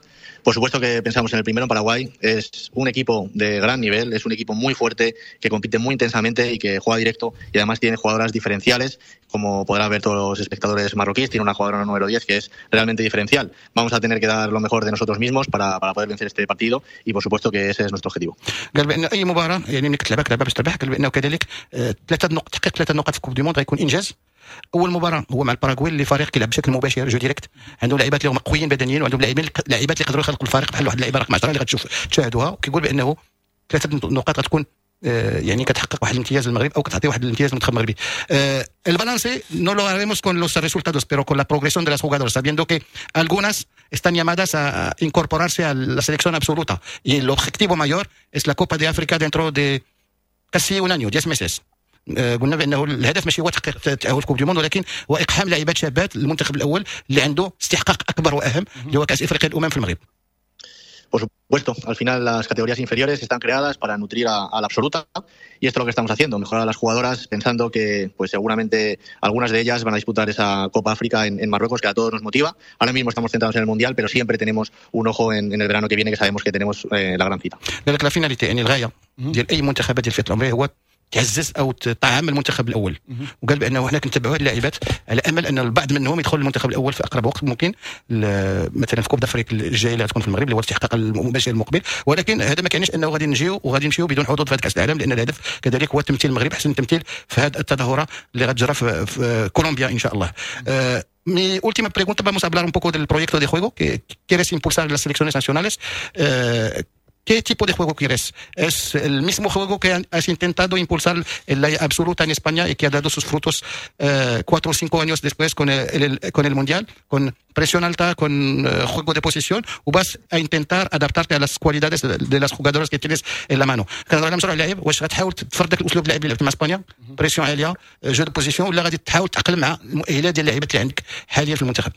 F: Por supuesto que pensamos en el primero, en Paraguay. Es un equipo de gran nivel, es un equipo muy fuerte, que compite muy intensamente y que juega directo y además tiene jugadoras diferenciales, como podrán ver todos los espectadores marroquíes. Tiene una jugadora número 10 que es realmente diferencial. Vamos a tener que dar lo mejor de nosotros mismos para poder vencer este partido y por supuesto que ese es nuestro objetivo.
B: قال بأن أي مباراة يعني ملي كتلعبها كتلعبها باش تربح. قال بأنه كذلك ثلاثة نقط، تحقيق 3 نقاط في Coupe du Monde غيكون إنجاز. اول مباراة هو مع الباراغواي اللي فريق كيلعب بشكل مباشر jeu direct، عندهم لاعبات اللي هما قويين بدنيا وعندهم لاعبين لاعبات اللي يقدروا يخلقوا الفريق بحال واحد اللعيبة رقم 10 اللي غتشوف تشاهدوها. وكيقول بانه 3 نقاط غتكون يعني كتحقق واحد الامتياز للمغرب او كتعطي واحد الامتياز للمنتخب المغربي. El balance no lo haremos con los resultados, pero con la progresión de las jugadoras, sabiendo que algunas están llamadas a incorporarse a la selección absoluta y el objetivo mayor es la Copa de África dentro de casi un año, 10 meses. قلنا بانه الهدف ماشي هو تحقيق تاهل Coupe du Monde، ولكن هو اقحام لاعبات شابات للمنتخب الاول اللي عنده استحقاق اكبر واهم اللي هو كاس افريقيا الامم في المغرب.
F: Por supuesto, al final las categorías inferiores están creadas para nutrir a la absoluta y esto es lo que estamos haciendo, mejorar a las jugadoras pensando que pues seguramente algunas de ellas van a disputar esa Copa África en Marruecos, que a todos nos motiva. Ahora mismo estamos centrados en el Mundial, pero siempre tenemos un ojo en el verano que viene, que sabemos que tenemos la gran cita.
B: لذلك la finalité يعني الغاية ديال اي منتخبات ديال الفئة العمرية هو تعزز او تطعم المنتخب الاول. وقال بانه حنا كنتبعوا هذه اللاعبات على امل ان البعض منهم يدخل المنتخب الاول في اقرب وقت ممكن، مثلا في Coupe d'Afrique الجاية اللي غتكون في المغرب اللي هو الاستحقاق المباشر المقبل. ولكن هذا ما كيعنيش انه غادي نجيو وغادي نمشيو بدون حظوظ في هذا كاس العالم، لان الهدف كذلك هو تمثيل المغرب احسن تمثيل في هذه التظاهرة اللي غتجرى في كولومبيا ان شاء الله. Mi última pregunta, vamos a hablar un poco del proyecto de juego que quieres impulsar en las selecciones nacionales. ¿Qué tipo de juego quieres? ¿Es el mismo juego que has intentado impulsar en la absoluta en España y que ha dado sus frutos 4 o 5 años después con el Mundial, con presión alta, con juego de posición, o vas a intentar adaptarte a las cualidades de las jugadoras que tienes en la mano؟ كنهضر على مشروع اللعب، واش غتحاول تفرض داك الاسلوب اللعب اللي لعبت مع اسبانيا، pression عالية، jeu de position، ولا غادي تحاول تتاقلم مع المؤهلات ديال اللعيبات اللي عندك حاليا في المنتخب؟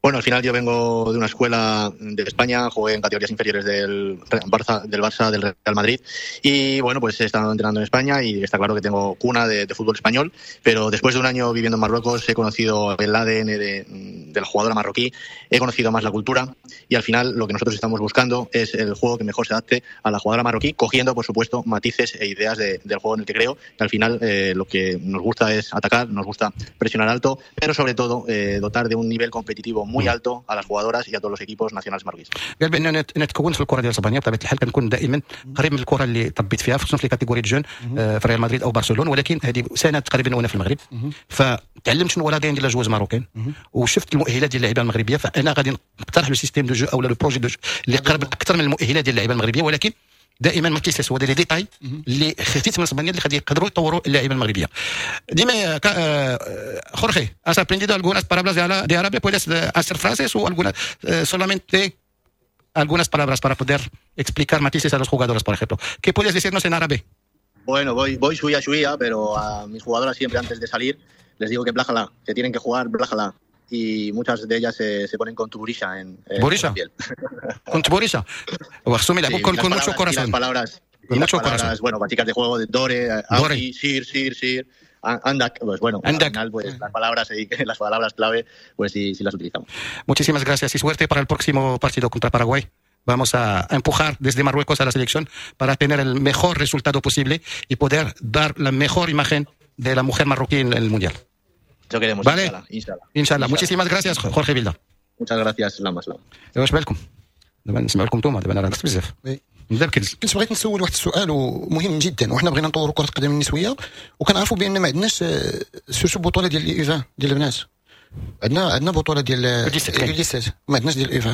F: Bueno, al final yo vengo de una escuela de España, jugué en categorías inferiores del Barça, del Real Madrid y bueno, pues he estado entrenando en España y está claro que tengo cuna de fútbol español, pero después de un año viviendo en Marruecos he conocido el ADN de la jugadora marroquí, he conocido más la cultura y al final lo que nosotros estamos buscando es el juego que mejor se adapte a la jugadora marroquí, cogiendo por supuesto matices e ideas del juego en el que creo que al final lo que nos gusta es atacar, nos gusta presionar alto, pero sobre todo dotar de un nivel competitivo muy alto a las jugadoras y a todos los equipos nacionales marroquíes.
B: قال بان انا تكونت في الكره ديال اسبانيا، بطبيعة الحال كنكون دائما قريب من الكره اللي تربيت فيها، خصوصا في catégories jeunes في ريال مدريد او برشلونه، ولكن هذه سنة تقريبا وانا في المغرب، فتعلمت شنو هو l'ADN ديال la joueuse marocaine وشفت المؤهلات ديال اللعيبة المغربيه، فانا غادي نقترح le système de jeu او le projet de jeu اللي قرب اكثر من المؤهلات ديال اللعيبة المغربيه، ولكن دائما ما كيساس هو les détails اللي خديت من اسبانيا اللي غادي يقدروا يطوروا اللاعبين المغربية. ديما Jorge, ¿has aprendido algunas palabras de árabe? ¿Puedes hacer frases o algunas, solamente algunas palabras para poder explicar matices a los jugadores, por ejemplo? ¿Qué puedes decirnos en árabe?
F: Bueno, voy شوية شوية, pero a mis jugadoras siempre antes de salir les digo que بلاخلا, que tienen que jugar بلاخلا. Y muchas de ellas se ponen con تبوريشة en
B: تبوريشة.
F: la piel.
B: كون تبوريشة وخصهم يلعبوا con mucho corazón.
F: Las palabras,
B: con mucho
F: palabras,
B: corazón.
F: Bueno, básicas de juego de دور,
B: دور.
F: سير, سير, سير, عندك, pues bueno,
B: عندك.
F: al final, pues las palabras clave, pues sí, sí las utilizamos.
B: Muchísimas gracias y suerte para el próximo partido contra Paraguay. Vamos a empujar desde Marruecos a la selección para tener el mejor resultado posible y poder dar la mejor imagen de la mujer marroquí en el Mundial.
F: Eso queremos,
B: vale.
F: إن شاء الله. إن شاء الله.
B: إن شاء الله. Muchísimas gracias, Jorge Vilda.
F: Muchas gracias, سلام سلام.
B: واش بالكم؟ دابا نسمع لكم نتوما، دابا انا راه بزاف. نبدا بكنز.
C: كنت بغيت نسول واحد السؤال ومهم جدا، وحنا بغينا نطوروا كره القدم النسوية وكنعرفوا بان ما عندناش surtout بطوله ديال les U20 ديال البنات، عندنا بطوله ديال U17، ما عندناش ديال U20،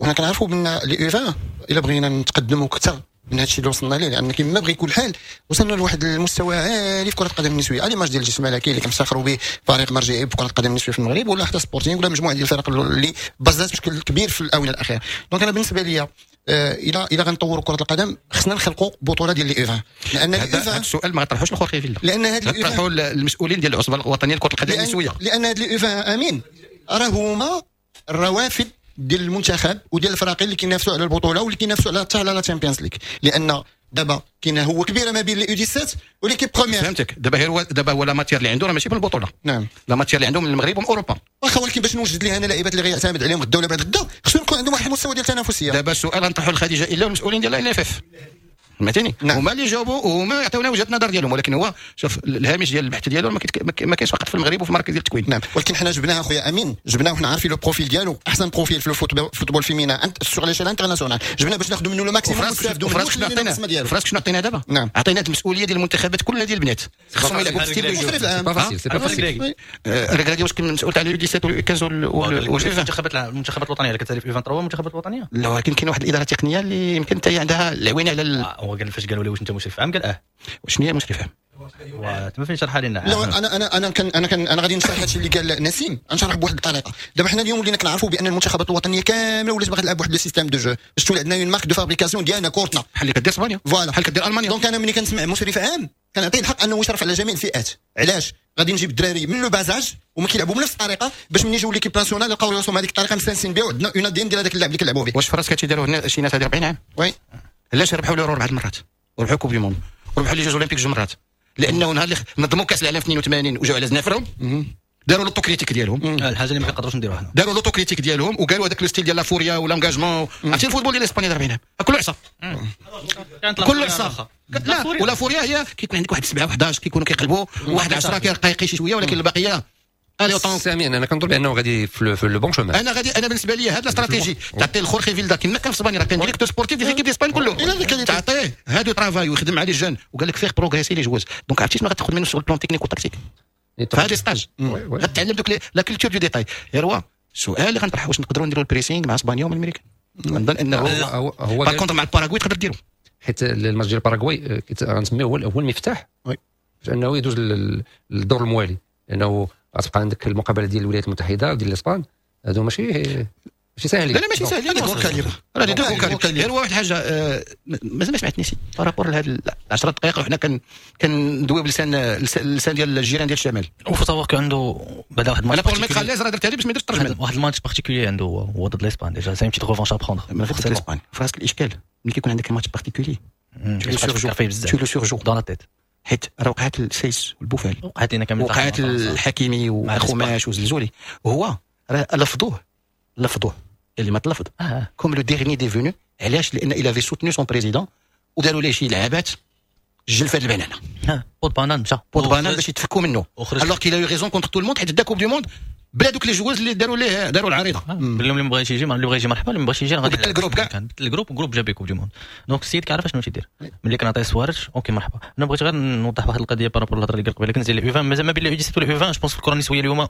C: وحنا كنعرفوا بان les U20 الا بغينا نتقدموا اكثر من هذا الشيء اللي وصلنا ليه، لان كما بغى يكون الحال وصلنا لواحد المستوى عالي في كره القدم النسوية، l'image ديال الجيش الملكي اللي كنفتخروا به فريق مرجعي بكره القدم النسوية في المغرب، ولا حتى سبورتينغ ولا مجموعة ديال الفرق اللي بزات بشكل كبير في الاونة الاخيرة. donc انا بالنسبة لي الى غنطوروا كره القدم خصنا نخلقوا بطوله ديال les U20،
B: لان هذا السؤال ما غطرحوش لخورخي فيلا،
C: لان هذا
B: طرحوا المسؤولين ديال العصبة الوطنية لكرة القدم النسوية،
C: لان هاد les U20 امين راه هما الروافد ديال المنتخب وديال الفراقي اللي كينافسوا على البطولة واللي كينافسوا على حتى على la Champions League، لان دابا كاين هو كبيرة ما بين les U17 و l'équipe première.
B: فهمتك. دابا هو la matière اللي عنده راه ماشي من البطولة.
C: نعم،
B: la matière اللي عنده من المغرب ومن اوروبا.
C: واخا، ولكن باش نوجد ليه انا لعيبات اللي غيعتمد عليهم غدا ولا بعد غدا خصو يكون عندهم واحد المستوى ديال التنافسية.
B: دابا السؤال غنطرحوا لخديجه الا المسؤولين ديال la LFF، فهمتيني؟ نعم. هما اللي جاوبوا وهما يعطيونا وجهه النظر ديالهم، ولكن هو شوف الهامش ديال البحث ديالو ما كاينش فقط في المغرب وفي المراكز ديال التكوين.
C: نعم، ولكن حنا جبناه اخويا امين، جبناه وحنا عارفين le profil ديالو، احسن profil في ال football féminin sur l'échelle internationale، جبناه باش ناخذوا منه le maximum
B: ونستافدوا منه. فراسك شنو عطينا دابا؟
C: نعم،
B: عطينا المسؤولية ديال المنتخبات كلها ديال البنات، خصهم يلعبوا في style de
C: jeu.
D: c'est pas facile.
B: الركراكي واش كاين مسؤول تاع les 17 و 15
E: المنتخبات الوطنية اللي كتسالي في 23 المنتخبات الوطنية؟
B: لا، ولكن كاين واحد الادارة التقنية اللي يمكن حتى هي عندها العوينة على
E: هو قال فاش قالوا لي واش انت مشرف عام قال اه.
B: شنو هي مشرف عام؟
E: تما فين شرحها لنا.
C: لا، انا انا انا كان انا كان انا غادي نشرح هادشي اللي قال نسيم، نشرح بواحد الطريقة. دابا حنا اليوم ولينا كنعرفوا بان المنتخبات الوطنية كاملة ولات باغا تلعب بواحد le système de jeu باش تولي عندنا une marque de fabrication ديالنا كورتنا،
B: بحال اللي كدير اسبانيا،
C: voilà،
B: بحال كدير المانيا.
C: donc انا ملي كنسمع مشرف عام كنعطيه الحق انه يشرف على جميع الفئات. علاش؟ غادي نجيب الدراري من le bas âge وما كيلعبوا بنفس الطريقة باش ملي يجيو l'équipe nationale يلقاو راسهم هذيك الطريقة مستانسين بها، وعندنا un ADN ديال هذاك اللاعب اللي كنلعبوا به.
B: واش في راسك هادشي داروه شي ناس هذه 40 عام؟
C: oui.
B: علاش ربحوا l'Euro اربع مرات وربحوا Coupe du monde وربحوا les Jeux olympiques جوج مرات؟ لانه نهار اللي نظموا كاس العالم في 82 وجاو على زنافرهم داروا l'autocritique ديالهم.
E: الحاجة اللي ما كنقدروش نديروها حنا.
B: داروا l'autocritique ديالهم وقالوا هذاك le style ديال la furia و l'engagement. عرفتي ال football ديال اسبانيا 40 عام كله عصا، كله عصا. لا، و la furia هي كيكون عندك واحد 7 11 كيكونوا كيقلبوا، واحد 10 كيرقى شي شوية، ولكن البقية
D: سامي انا كنظن بانه غادي في le bon chemin.
B: انا غادي، انا بالنسبة لي هاد la stratégie تعطي لخورخي فيلدا كما كان في اسبانيا، راه كان directeur sportif ديال l'équipe d'Espagne كله، تعطيه هادو travail ويخدم مع les jeunes وقال لك faire progresser les joueuses. donc عرفتي شنو غتاخذ منه sur plan technique و tactique في هاد stage؟ غتعلم دوك la culture du détail. غير السؤال اللي غنطرح، واش نقدروا نديروا ال pressing مع اسبانيا ومع الامريكان؟ نظن انه
D: هو
B: par contre مع الباراغواي تقدر ديرو،
D: حيت الماتش ديال الباراغواي غنسميه هو المفتاح باش انه يدوز للدور الموالي، لانه غتبقى عندك المقابلة ديال الولايات المتحدة وديال الاسبان، هادو ماشي ساهلين.
B: لا لا، ماشي ساهلين، راه des gros calibres. غير واحد الحاجة مازال ما سمعتنيش par rapport لهاد 10 دقائق وحنا كندويو بلسان اللسان ديال الجيران ديال الشمال.
E: و faut savoir que عنده بعدا واحد
B: الماتش، انا pour mettre à l'aise راه درت هذه باش ما يديرش الترجمة.
E: واحد الماتش particulier عنده هو ضد l'Espagne، déjà c'est une petite revanche à prendre.
B: من غير ضد l'Espagne، في راسك الاشكال ملي كيكون عندك match particulier tu le surjoues
E: dans la tête،
B: حيت راه وقعت السيس والبوفال،
E: وقعت لنا كامل،
B: وقعت الحكيمي وخماش وزلزولي، وهو راه لفظوه اللي ما تلفظ comme le dernier des venus. علاش؟ لان il avait soutenu son président وداروا ليه شي لعابات الجلفه البنانه
E: peau de banane مشى
B: peau de banane باش يتفكوا منه، alors qu'il a eu raison contre tout le monde، حيت دا coupe du monde بلا دوك les joueuses اللي داروا ليه داروا العريضه.
E: اللي ما بغاش يجي، اللي بغى يجي مرحبا، اللي ما بغاش يجي غادي
B: بدل ال groupe كاع.
E: بدل ال groupe، groupe جاب coupe du monde. donc السيد كيعرف شنو تيدير. ملي كنعطيه سوارج OK مرحبا. انا بغيت غير نوضح واحد القضية par rapport الهضرة اللي قال قبيلة، كنزيد les U20 مازال ما بين les U17 و les U20. je pense في الكره النسوية اليوم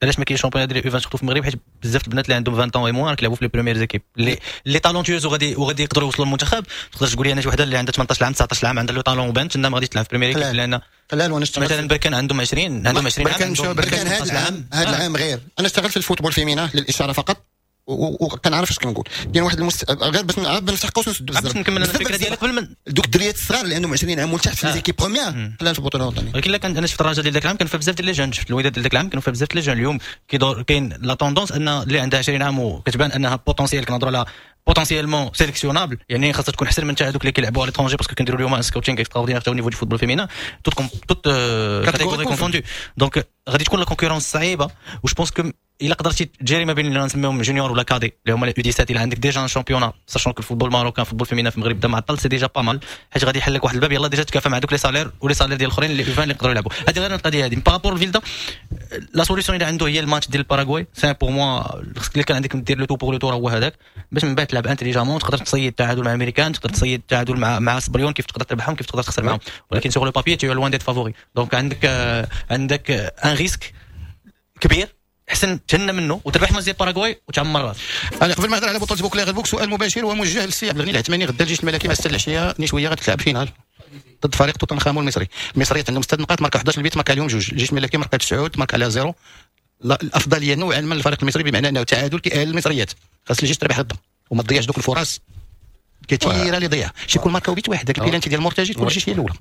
E: علاش ما كاينش championnat ديال U20 surtout في المغرب؟ حيت بزاف البنات اللي عندهم 20 ans et moins كيلعبوا في les premières équipes les talentueuses وغادي يقدروا يوصلوا للمنتخب. تقدر تقول لي انا شي وحده اللي عندها 18 عام، 19 عام، عندها le talent وبانت انها ما غاديش تلعب في première équipe لان
C: قلال. وانا اشتغلت
E: مثلا بركان عندهم 20، عندهم 20 عام.
C: بركان هذا العام، هذا العام غير انا اشتغلت في ال football féminin للاشارة فقط وكنعرف اش كنقول. كاين واحد غير باش نفتح قوس ونسد.
E: باش نكمل الفكرة ديالك قبل من
C: دوك الدريات الصغار اللي عندهم 20 عام ولتحت في les équipes premières قلال في البطولة الوطنيه.
E: ولكن لا كان انا شفت الرجاء ديال ذاك العام كان فيها بزاف ديال les jeunes، شفت الوداد ديال ذاك العام كانوا فيها بزاف ديال les jeunes. اليوم كيدور كاين la tendance ان اللي عندها 20 عام وكتبان انها potentiel، كنهضروا على potentiellement sélectionnable، يعني خاصها تكون احسن من تاع هذوك اللي كيلعبوا على l'étranger، parce que كنديروا اليوم scouting extraordinaire au niveau du football féminin، toutes catégories confondues. donc غادي تكون la concurrence صعيبه، و je pense que الا قدرتي تجاري ما بين اللي نسميهم juniors ولا cadets اللي هما les U17، الا عندك déjà un championnat، sachant que ال football marocain، football féminin في المغرب بدا معطل، c'est déjà pas mal، حيت غادي يحل لك واحد الباب يلا déjà تكافى مع دوك les salaires و les salaires ديال الاخرين les U20 اللي يقدروا يلعبوا. هذه غير القضية هذه. par rapport الفيلدا، la solution اللي عنده هي الماتش ديال الباراغواي. c'est pour moi خصك اللي كان عندك دير le tout pour le tout هو هذاك، باش من بعد تلعب intelligemment، تقدر تصيد التعادل مع الامريكان، تقدر تصيد التعادل مع سبريون، كيف تقدر تربحهم، كيف تقدر تخسر معاهم، ولكن sur le papier t'es loin d'être favori. donc عندك un risque كبير، حسن تهنى منه وتربح ماتش ديال باراغواي وتعمر راسك.
B: انا قبل ما نهضر على بطوله بوكلير بوك، سؤال مباشر وموجه للسي عبد الغني العثماني. غدا الجيش الملكي مع 6 العشية نسويه غتلعب finale ضد فريق توتنخامون المصري. المصريات عندهم 6 نقاط، ماركا 11 بيت، ماركا عليهم جوج. الجيش الملكي ماركا 9، ماركا على zéro. الافضلية نوعا ما للفريق المصري، بمعنى انه تعادل كيأهل المصريات. خاص الجيش تربح غدا وما تضيعش دوك الفرص كثيرة اللي ضيع. شي يكون ماركاو بيت واحد، ذاك البيلانتي ديال المرتجي، تكون الجيش هي الاولى.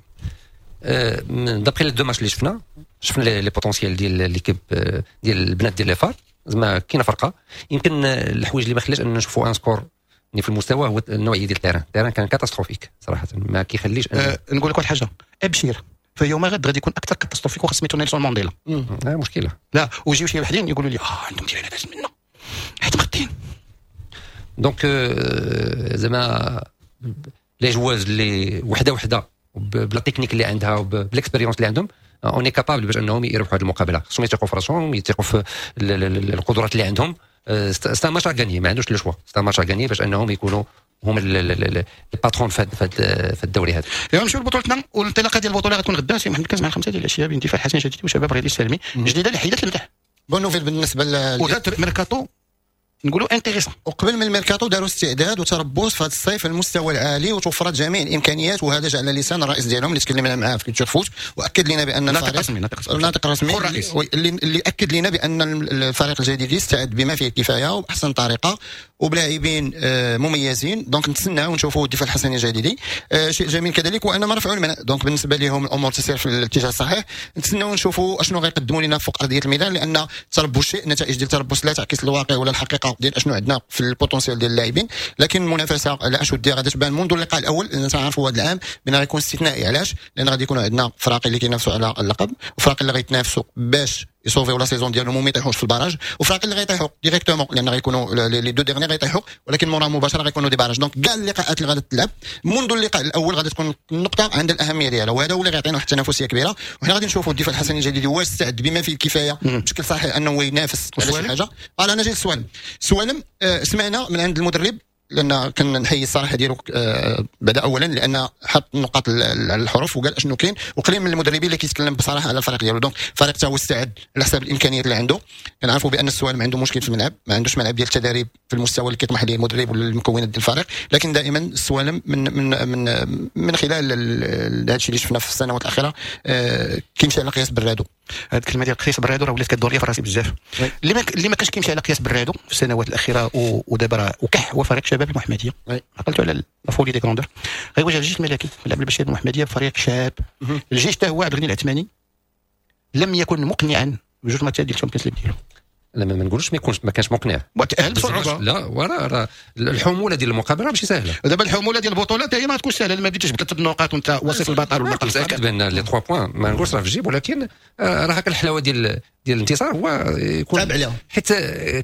D: d'après les deux matchs اللي شفنا، شفنا les potentiels ديال l'équipe ديال البنات ديال les FAR. زعما كاينه فرقه. يمكن الحوايج اللي ما خلاش ان نشوفوا un score في المستوى هو النوعية ديال ال terrain. ال terrain كان catastrophique صراحه، ما كيخليش.
B: نقول لك واحد الحاجه، ابشر، في يوم غد غادي يكون اكثر catastrophique، واخا سميتو نيلسون مانديلا.
D: مشكله.
B: لا ويجيو شي وحدين يقولوا لي عندهم terrain داز منا حيت مغطين.
D: donc زعما les joueuses اللي وحده وحده ب la technique اللي عندها وب l'expérience اللي عندهم، on est capable باش انهم يربحوا هذه المقابله. خصهم يثقوا في راسهم، يثقوا في القدرات اللي عندهم. c'est un match à gagner، ما عندوش le choix، c'est un match à gagner باش انهم يكونوا هما les patrons في الدوري هذا.
B: يلا نمشيو لبطولتنا، والانطلاقه ديال البطولة غتكون غدا سي محمد كاز مع 5 ديال العشية بين دفاع الحسن الجديد وشباب رياضي السالمي. جديدة اللي حيدت المدح.
C: bonne nouvelle بالنسبة ل
B: ودارت ميركاتو نقولوا intéressant.
C: وقبل من الميركاتو داروا استعداد وتربص في هذا الصيف المستوى العالي، وتوفرت جميع الامكانيات، وهذا جاء على لسان الرئيس ديالهم اللي تكلمنا معاه في Culture Foot واكد لنا بان
B: ناطق رسمي، ناطق رسمي.
C: ناطق رسمي اللي اكد لنا بان الفريق الجديد يستعد بما فيه الكفاية وباحسن طريقه وبلاعبين مميزين. donc نتسناو ونشوفوا الدفاع الحسني الجديدي. شيء جميل كذلك وان ما رفعوا المنع، donc بالنسبة لهم الامور تسير في الاتجاه الصحيح. نتسناو ونشوفوا اشنو غيقدموا لنا فوق ارضية الميدان، لان التربص شيء، النتائج ديال التربص لا تعكس الواقع ولا الحقيقة ديال اشنو عندنا في ال potentiel ديال اللاعبين. لكن المنافسة على اشدها غادي تبان منذ اللقاء الاول، لان تعرفوا هذا العام بان غيكون استثنائي. علاش؟ لان غادي يكونوا عندنا فراقي اللي كينافسوا على اللقب، وفراقي اللي غيتنافسوا باش يصوفيو la saison ديالهم وما يطيحوش في ال barrage، وفراقي اللي غيطيحوا directement، لان غيكونوا les deux derniers غيطيحوا، ولكن مورا مباشرة غيكونوا des barrages. donc كاع اللقاءات اللي غادي تلعب منذ اللقاء الاول غادي تكون النقطة عندها الاهمية ديالها، وهذا هو اللي غيعطينا واحد التنافسية كبيره. وحنا غادي نشوفوا الدفاع الحسني الجديد واش استعد بما فيه الكفاية بشكل صحيح انه ينافس على شي حاجه. قال انا جاي السوالم. السوالم سمعنا من عند المدرب، لان كنحيي الصراحة ديالو بدا اولا، لان حط النقاط على الحروف وقال اشنو كاين، وقليل من المدربين اللي كيتكلم بصراحة على الفريق ديالو. donc الفريق تا هو استعد على حساب الامكانيات اللي عنده. كنعرفوا بان السوالم عنده مشكل في الملعب، ما عندوش ملعب ديال التدريب في المستوى اللي كيطمح ليه المدرب ولا المكونات ديال الفريق، لكن دائما السوالم من خلال هذا الشيء اللي شفنا في السنوات الاخيرة كيمشي على قياس برادو.
B: هذه الكلمة ديال قياس برادو راه ولات كدور لي في راسي بزاف. اللي ما كانش كيمشي على قياس برادو في السنوات الاخيرة ودابا راه وكح هو فريق شباب المحمديه. عقلتوا على la folie des grandeurs؟ غيواجه الجيش الملكي ملعب البشير المحمدية بفريق شاب. الجيش حتى هو عبد الغني العثماني لم يكن مقنعا بجوج ماتشات ديال ال Champions League ديالو.
D: لا، ما نقولوش ما يكونش، ما كانش مقنع.
B: وتاهل بصعوبه.
D: لا، وراه راه الحمولة ديال المقابلة ماشي سهله.
B: دابا الحمولة ديال البطولة حتى هي ما تكونش سهله، ما بديتش بثلاث نقاط وانت وصيف البطل والبطل.
D: متاكد بان les 3 points ما نقولش راه في الجيب، ولكن راه هكا الحلاوة ديال ديال الانتصار هو يكون
C: عليهم،
D: حيت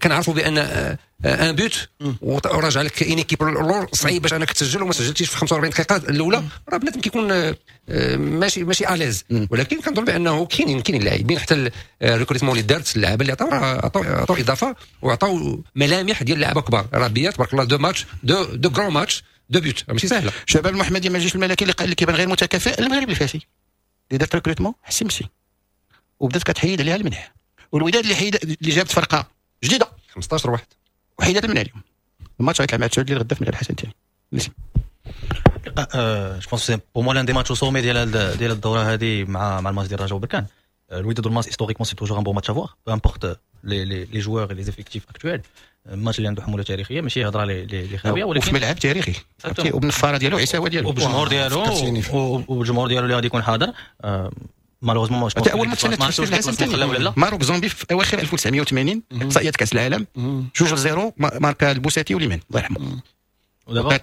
D: كنعرفوا بان un but وراجع لك une équipe اللور صعيب باش انك تسجل، وما سجلتيش في 45 دقيقة الاولى راه بنادم كيكون ماشي à l'aise. ولكن كنظن بانه كاينين لاعبين، حتى ال recrutement اللي دارت، اللعابه اللي عطاو عطاو اضافه وعطاو ملامح ديال لعابه كبار. راه بيا تبارك الله deux matchs، deux grands matchs، deux buts، ماشي سهلة.
B: شباب المحمدية ما الجيش الملكي اللي كيبان غير متكافئ. المغرب الفاسي اللي دارت recrutement حسيمسي وبدات كتحيد عليها المنح، والوداد اللي حيد اللي جابت فرقه جديدة
D: 15 واحد
B: وحيدات المنح. اليوم الماتش غيتلعب مع 9 ديال غدا في ملعب الحسن الثاني.
E: je pense pour moi l'un des matchs au sommet ديال الدورة هذه مع الماتش ديال الرجاء وبركان. الوداد والماس historiquement c'est toujours un bon match à voir، peu importe les joueurs، les effectifs actuels. الماتش اللي عنده حمولة تاريخية، ماشي هضره لي خاويه،
B: ولكن وفي ملعب تاريخي وبالنفاره ديالو عيساوه ديالو
E: وبالجمهور ديالو اللي غادي يكون حاضر. malheureusement
B: اول ماتش الحسن Maroc Zambie في اواخر 1980 اقصائيات كاس العالم 2-0، ماركا البوساتي وليمان الله يرحمه.
E: ودابا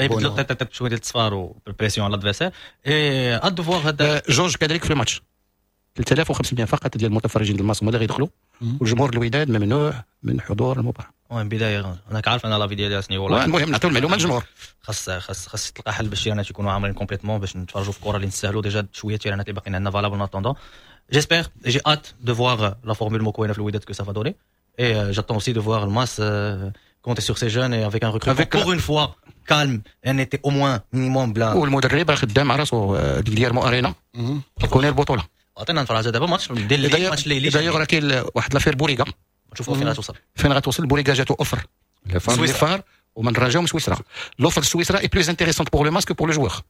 E: يبدلوا تيت شوية ديال التصفار وال pression على l'adversaire et à voir هذا.
B: جوج كذلك في الماتش 3500 فقط ديال المتفرجين الماس هما اللي غيدخلوا، والجمهور الوداد ممنوع من حضور المباراة.
E: المهم بداية انا كعارف انا l'avis ديالي شنو والله.
B: المهم نعطيو المعلومة للجمهور.
E: خاص تلقى حل باش التيرانات يكونوا عاملين complètement باش نتفرجوا في الكره اللي نستاهلوا. déjà شوية التيرانات اللي باقيين عندنا valables en attendant. j'espère، j'ai hâte de voir la formule موكوينه في الوداد que ça va donner، et j'attends aussi de voir الماس compter sur ces jeunes et avec un recrutement avec pour une fois calme، un été au moins minimum بلا.
B: والمدرب راه خدام على راسو غيليرمو ارينا كيكون البطولة.
E: عطينا نفرج دابا ماتش ديال الماتش الليلي.
B: دايوغ راه كاين واحد l'affaire بوريغا،
E: نشوفوا فين غتوصل.
B: فين غتوصل بوريغا؟ جاتو offre les FAR ومن الرجاء ومن سويسرا. l'offre سويسرا est plus intéressante pour le MAS que pour le joueur،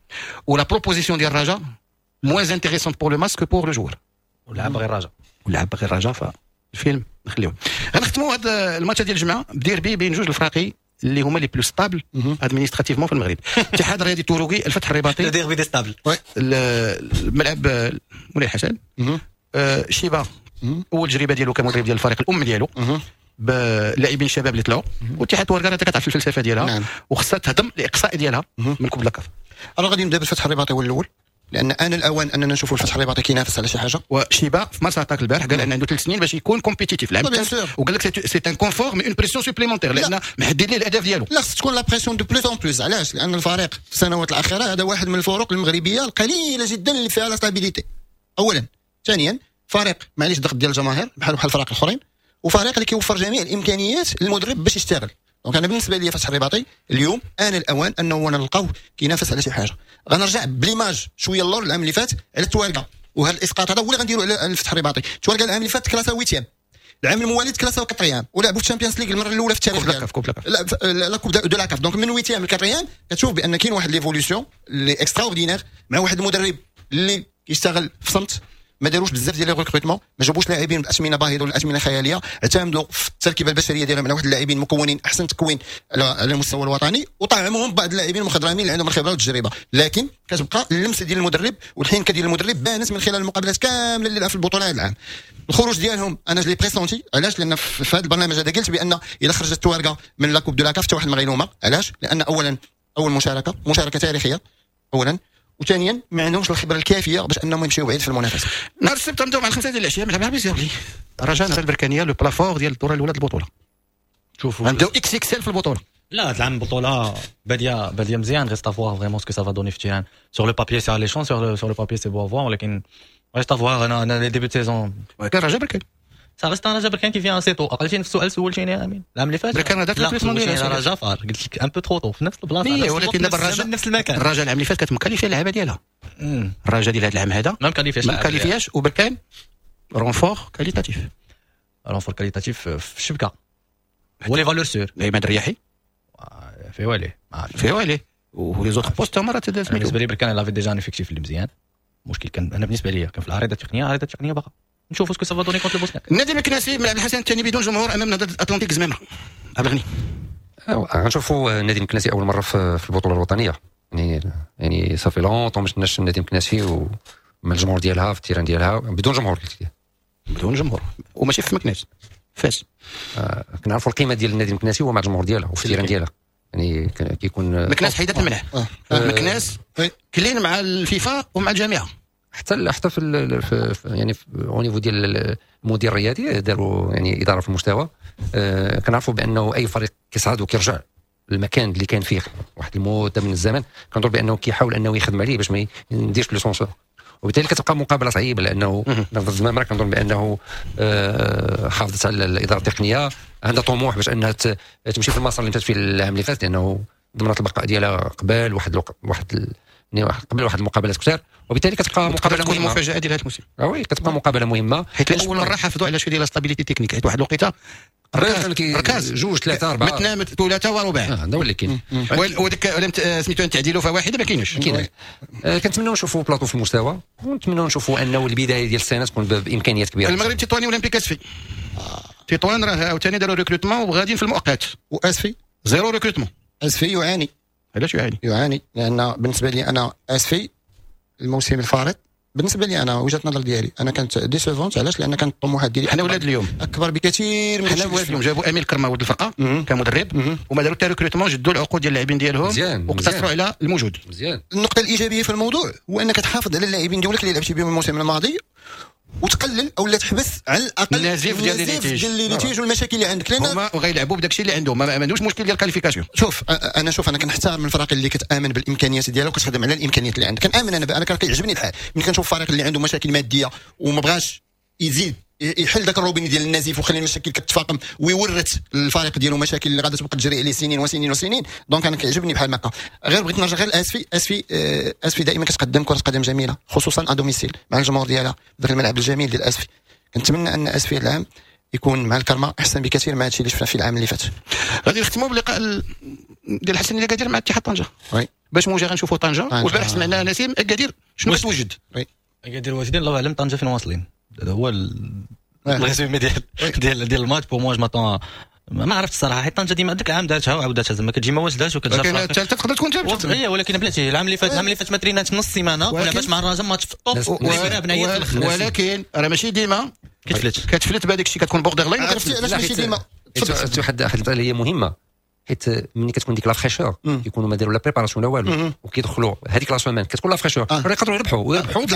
B: و la proposition ديال الرجاء moins intéressante pour le MAS que pour le joueur.
E: ولعب غير الرجاء،
B: ولعب غير الرجاء. فالفيلم نخليوه. غنختموا هذا الماتش ديال الجمعة بديربي بين جوج الفراقي اللي هما les plus stables administrativement في المغرب، الاتحاد الرياضي التوروكي الفتح الرباطي.
E: derby des stables.
B: الملعب مولاي الحسن. شيبا اول تجربه ديالو كمدرب ديال الفريق الام ديالو بلاعبين شباب اللي طلعوا، واتحاد ورقة انت كتعرف الفلسفة ديالها. نعم. وخصها تهضم الاقصاء ديالها من coupe la CAF.
C: انا غادي نبدا بالفتح الرباطي هو الاول، لان انا الاوان اننا نشوفوا الفتح الرباطي كينافس على شي حاجة.
B: وشيبا في مارس عطاك البارح قال ان عنده 3 سنين باش يكون compétitif العام، وقال لك c'est un confort mais une pression supplémentaire، لان محدد ليه الاهداف ديالو.
C: لا، خص تكون la pression de plus en plus. علاش؟ لان الفريق في السنوات الاخيرة هذا واحد من الفرق المغربية القليلة جدا اللي فيها la stabilité اولا. ثانيا، فريق معليش ضغط ديال الجماهير بحال الفرق الاخرين، وفريق اللي كيوفر جميع الامكانيات للمدرب باش يشتغل. donc انا بالنسبة لي فتح الرباطي اليوم ان الاوان انه نلقاوه كينافس على شي حاجة. غنرجع ب l'image شوية اللور العام اللي فات على التوارقه، وهذا الاسقاط هذا هو اللي غنديرو على الفتح الرباطي. التوارقه العام اللي فات كلاسا huitième، العام الموالي كلاسا quatrième، ولعبوا في ال Champions League المرة الاولى في التاريخ.
B: coupe
C: la coupe de la CAF. donc من huitième ل quatrième كتشوف بان كاين واحد l'évolution اللي extraordinaire مع واحد المدرب اللي كيشتغل في صمت. ما داروش بزاف ديال les recrutements، ما جابوش لاعبين باثمنه باهظه ولا اثمنه خياليه، اعتمدوا في التركيبة البشرية ديالهم على واحد اللاعبين مكونين احسن تكوين على المستوى الوطني، وطعموهم بعض اللاعبين المخضرمين اللي عندهم الخبرة والتجربه. لكن كتبقى اللمسة ديال المدرب والحنكه ديال المدرب بانت من خلال المقابلات كاملة اللي لعب في البطولة هذا العام. الخروج ديالهم انا je l'ai pressenti. علاش؟ لان في هذا البرنامج هذا قلت بان الا خرجت التوارقه من la coupe de la CAF حتى واحد ما غيلومها. علاش؟ لان اولا اول مشاركه، مشاركة تاريخية اولا، وثانيا ما عندهمش الخبرة الكافيه باش انهم يمشيو بعيد في المنافسة.
B: نهار السبت نبداو مع 5 ديال العشية ملعب العربي الزاولي، رجاء البركانيه، le plat fort ديال الدورة الاولى البطوله.
E: شوفوا
B: نبداو XXL في البطوله.
E: لا، هذا العام البطولة باديه باديه مزيان. reste à voir vraiment ce que ça va donner في ال terrain. sur le papier c'est alléchant، sur le papier c'est beau à voir، ولكن reste à voir. انا les débuts de saison
B: كان رجاء بركان.
E: ça reste رجاء بركان qui vient assez tôt. عقلتيني في السؤال سولتيني يا امين العام اللي فات؟
B: بركان هذاك
E: لا، رجاء فار، قلت لك un peu trop tôt في نفس البلاصه.
B: ولكن دابا الرجاء
E: نفس المكان.
B: الرجاء العام اللي فات كانت مكاليفيه اللعابه ديالها. الرجاء ديال هذا العام هذا
E: ما مكاليفياش.
B: ما مكاليفياش، وبركان renfort qualitatif.
E: renfort qualitatif في الشبكة هو les valeurs sûres.
B: عماد الرياحي.
E: في والي.
B: في والي و les autres postes هما راه.
E: بالنسبة لي بركان il avait déjà un effectif اللي مزيان. المشكل كان انا بالنسبة لي كان في العريضة التقنيه. العريضة التقنية باقا نشوفوا ce que ça va donner contre البوسنياك.
B: النادي المكناسي ملعب الحسن الثاني بدون جمهور امام نادي اتلانتيك زمامرة. عبد الغني.
D: غنشوفوا النادي المكناسي اول مرة في البطولة الوطنيه، يعني ça fait longtemps ما شفناش النادي المكناسي ومع الجمهور ديالها في ال terrain ديالها بدون جمهور. قلت لي
B: بدون جمهور وماشي في مكناس، فاس.
D: كنعرفوا القيمة ديال النادي المكناسي هو مع الجمهور ديالها وفي ال terrain ديالها، يعني كيكون
B: مكناس حيدت المنع. مكناس clean مع الفيفا ومع الجامعه.
D: حتى في يعني au niveau ديال المدير الرياضي داروا يعني ادارة في المستوى. كنعرفوا بانه اي فريق كيصعد وكيرجع المكان اللي كان فيه واحد المدة من الزمن، كنظن بانه كيحاول انه يخدم عليه باش ما يديرش l'ascenseur، وبالتالي كتبقى مقابله صعيبة، لانه نهضة الزمامره كنظن بانه حافظت على الادارة التقنية، عندها طموح باش انها تمشي في المسار اللي مشات فيه العام اللي فات، لانه ضمنت البقاء ديالها قبل واحد واحد قبل واحد المقابلات كثار، وبالتالي كتبقى مقابله مهمة،
B: مفاجاة ديال هذا الموسم.
D: oui كتبقى مقابله مهمة،
B: حيت اول مرة حافظوا على شوية ديال stabilité technique، حيت واحد الوقيته ركاز
D: جوج ثلاثة اربعة
B: مثنى ثلاثة ورباع،
D: هذا هو اللي كاين.
B: وديك سميتو تعديلوا فواحدة ما كاينش.
D: كنتمناو نشوفوا بلاطو في المستوى، ونتمناو نشوفوا انه البداية ديال السنة تكون بامكانيات كبيرة.
B: المغرب تطواني اولمبيك اسفي، تطوان راه عاوتاني داروا recrutement وغاديين في المؤقت،
C: واسفي
B: zéro recrutement.
C: اسفي يعاني.
B: علاش يعاني؟
C: يعاني لان بالنسبة لي انا اسفي الموسم الفارط بالنسبة لي انا وجهه النظر ديالي انا كانت décevante. علاش؟ لان كانت الطموحات ديالي
B: حنا ولاد اليوم
C: اكبر بكثير من
B: حنا ولاد اليوم. جابوا امين كرما ولد الفرقة كمدرب، وما داروا حتى recrutement، جدوا العقود ديال اللاعبين ديالهم واقتصروا على الموجود.
D: مزيان.
C: النقطة الايجابية في الموضوع هو انك تحافظ على اللاعبين ديالك اللي لعبتي بهم الموسم الماضي، وتقلل او لا تحبس على الاقل
B: النزيف ديال
C: les litiges والمشاكل اللي عندك، لان
B: هما غيلعبوا بداك الشيء اللي عندهم، ما عندهمش مشكل ديال ال qualification.
C: شوف انا شوف انا كنحترم الفرق اللي كتامن بالامكانيات ديالها وكتخدم على الامكانيات اللي عندك. كنامن انا كيعجبني الحال ملي كنشوف فريق اللي عنده مشاكل مادية وما بغاش يزيد يحل ذاك الروبيني ديال النزيف وخلي المشاكل كتفاقم ويورث الفريق ديالو مشاكل اللي غادا تبقى تجري عليه سنين وسنين وسنين. donc انا كيعجبني بحال هكا. غير بغيت نرجع غير لاسفي. اسفي اسفي دائما كتقدم كره قدم جميلة، خصوصا à domicile مع الجمهور ديالها، ذاك الملعب الجميل ديال اسفي. كنتمنى ان اسفي العام يكون مع الكرمة احسن بكثير مع هادشي اللي شفنا في العام اللي فات.
B: غادي نختموا بلقاء ديال الحسن اكادير مع اتحاد طنجه.
C: oui
B: باش موجه غنشوفوا طنجه، والبارح سمعنا نسيم اكادير شنو كتوجد.
C: oui
E: اكادير واجدين، الله اعلم طنجه فين واصلين. هذا هو ال résumé ديال ديال الماتش. pour moi je m'attends، ما عرفت الصراحة، حيت طنجه ديما داك العام دارتها وعاودتها، زعما كتجي ما واجداش وكتجا.
B: ولكن الثالثة تقدر تكون ثابتة.
E: اي ولكن بلاتي العام اللي فات، العام اللي فات ما ترينات نص سيمانه ولعبات مع الرجاء ماتش في ال top،
B: ولكن راه ماشي ديما كتفلت بهذاك الشيء، كتكون borderline.
C: عرفتي علاش ماشي ديما؟
D: واحد المسالة هي مهمة، حيت ملي كتكون ديك la fraîcheur كيكونوا ما داروا لا préparation لا والو، وكيدخلوا هذيك la semaine كتكون la fraîcheur، راه يقدروا يربحوا ويربحوا،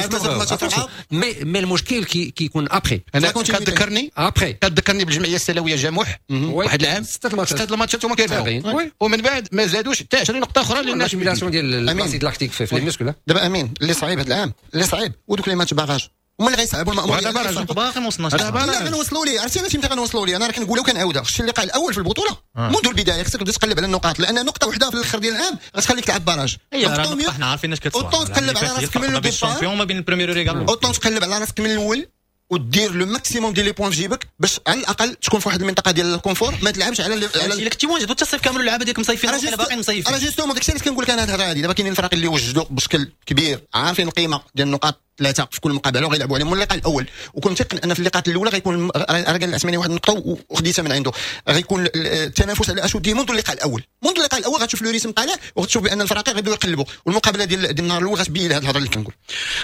D: mais المشكل كيكون après.
B: انا كتذكرني
D: après
B: كتذكرني بالجمعيه السلاويه جاموح واحد العام ستة الماتشات هما كيربحوا، ومن بعد ما زادوش حتى 20 نقطة اخرى
D: لان l'accumulation ديال l'acide lactique في les muscles.
C: دابا امين اللي صعيب هذا العام، اللي صعيب ودوك les matchs barrages هما اللي غيصعبوا المأمورية.
B: هذا
E: باقي ما وصلناش.
C: لا غنوصلوا ليه. عرفتي علاش امتى غنوصلوا ليه؟ انا راه كنقولها وكنعاودها. خص اللقاء الاول في البطولة منذ البداية خصك تبدا تقلب على النقاط، لان نقطة واحدة في الاخر ديال العام غتخليك تلعب barrage.
E: اي حنا عارفين اش كتسوى.
C: autant تقلب على راسك من ال départ
E: ما بين ال première relégable،
C: autant تقلب على راسك من الاول ودير le maximum ديال les points في جيبك باش على الاقل تكون في واحد المنطقة ديال ال confort، ما تلعبش على
E: الا كنتي واجد حتى الصيف كامل اللعابه ديالك مصيفين ولا باقيين مصيفين.
C: راه justement داكشي اللي كنقول لك انا هاد الهضرة هادي. دابا كاينين الفرق اللي وجدوا بشكل كبير، عارفين القيمة ديال النقاط ثلاثة في كل مقابله وغيلعبوا عليهم من اللقاء الاول، وكنت متيقن ان في اللقاءات الاولى غيكون راه قال العثماني واحد النقطة وخديتها من عنده، غيكون التنافس على اشد منذ اللقاء الاول. منذ اللقاء الاول غتشوف le rythme طالع وغتشوف بان الفرق غيبداو يقلبوا، والمقابلة ديال النهار الاول غتبين هذه الهضرة اللي كنقول.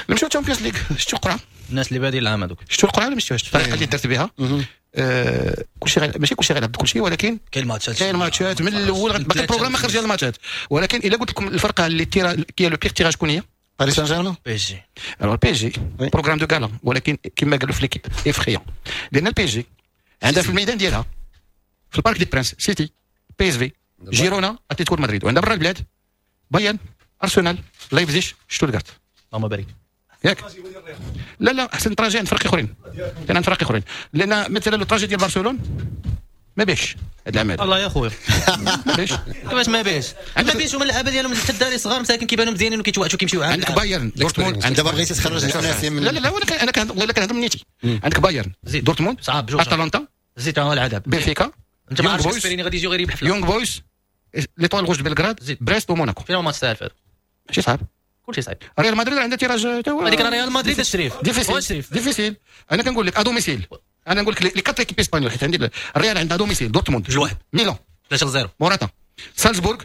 B: نمشيو Champions League. شفتوا القرعة؟
E: الناس اللي بادين العام هذوك
B: شفتوا القرعة ولا ما شفتوهاش؟ الطريقة اللي درت بها كلشي ماشي كلشي غيلعب كلشي، ولكن
E: كاين ماتشات،
B: كاين ماتشات من الاول، باقي ال programme ما خرج ديال الماتشات. ولكن الا قلت لكم الفرقة اللي qui a le pire tirage شكون هي؟
C: باريس سان جيرمان،
E: PSG.
B: alors PSG programme de gala، ولكن كما قالوا في L'Équipe effrayant، لان ال PSG عندها في الميدان ديالها في ال Parc des Princes سيتي، PSV، جيرونا، اتلتيكو مدريد، وعندها برا البلاد بايرن، ارسنال، لايبزيش، شتوتغارت.
E: اللهم بارك.
B: ياك؟ لا لا احسن trajet عند فرق اخرين، كان عند فرق اخرين، لان مثلا ال trajet ديال برشلونة ما بيش هذا العام هذا.
E: الله يا خويا
B: ما بيش.
E: كيفاش ما بيش؟ ما بيش هما اللعابه ديالهم حتى الدراري صغار مساكن كيبانوا مزيانين وكيتوعتوا كيمشيو.
B: عندك بايرن دورتموند،
C: عندك دابا بغيتي تخرج الناس من
B: لا لا لا انا كنهضر والله كنهضر من نيتي. عندك بايرن، دورتموند، اتلانتا،
E: زيد على العذاب،
B: بنفيكا،
E: انت ما عرفتش سبيريني غادي يجيو غير يربح
B: يونغ بويز، l'Étoile Rouge بلغراد، بريست وموناكو.
E: فين الماتش تاع الفات؟
B: ماشي صعب،
E: كلشي صعيب.
B: ريال مدريد عندها tirage تا هو،
E: هذيك ريال مدريد الشريف
B: difficile difficile. انا كنقول لك à domicile، انا نقول لك les quatre équipes espagnoles، حيت عندي الريال عندها domicile دورتموند
E: 2-1،
B: ميلان
E: 3-0،
B: موراتا، سالزبورغ،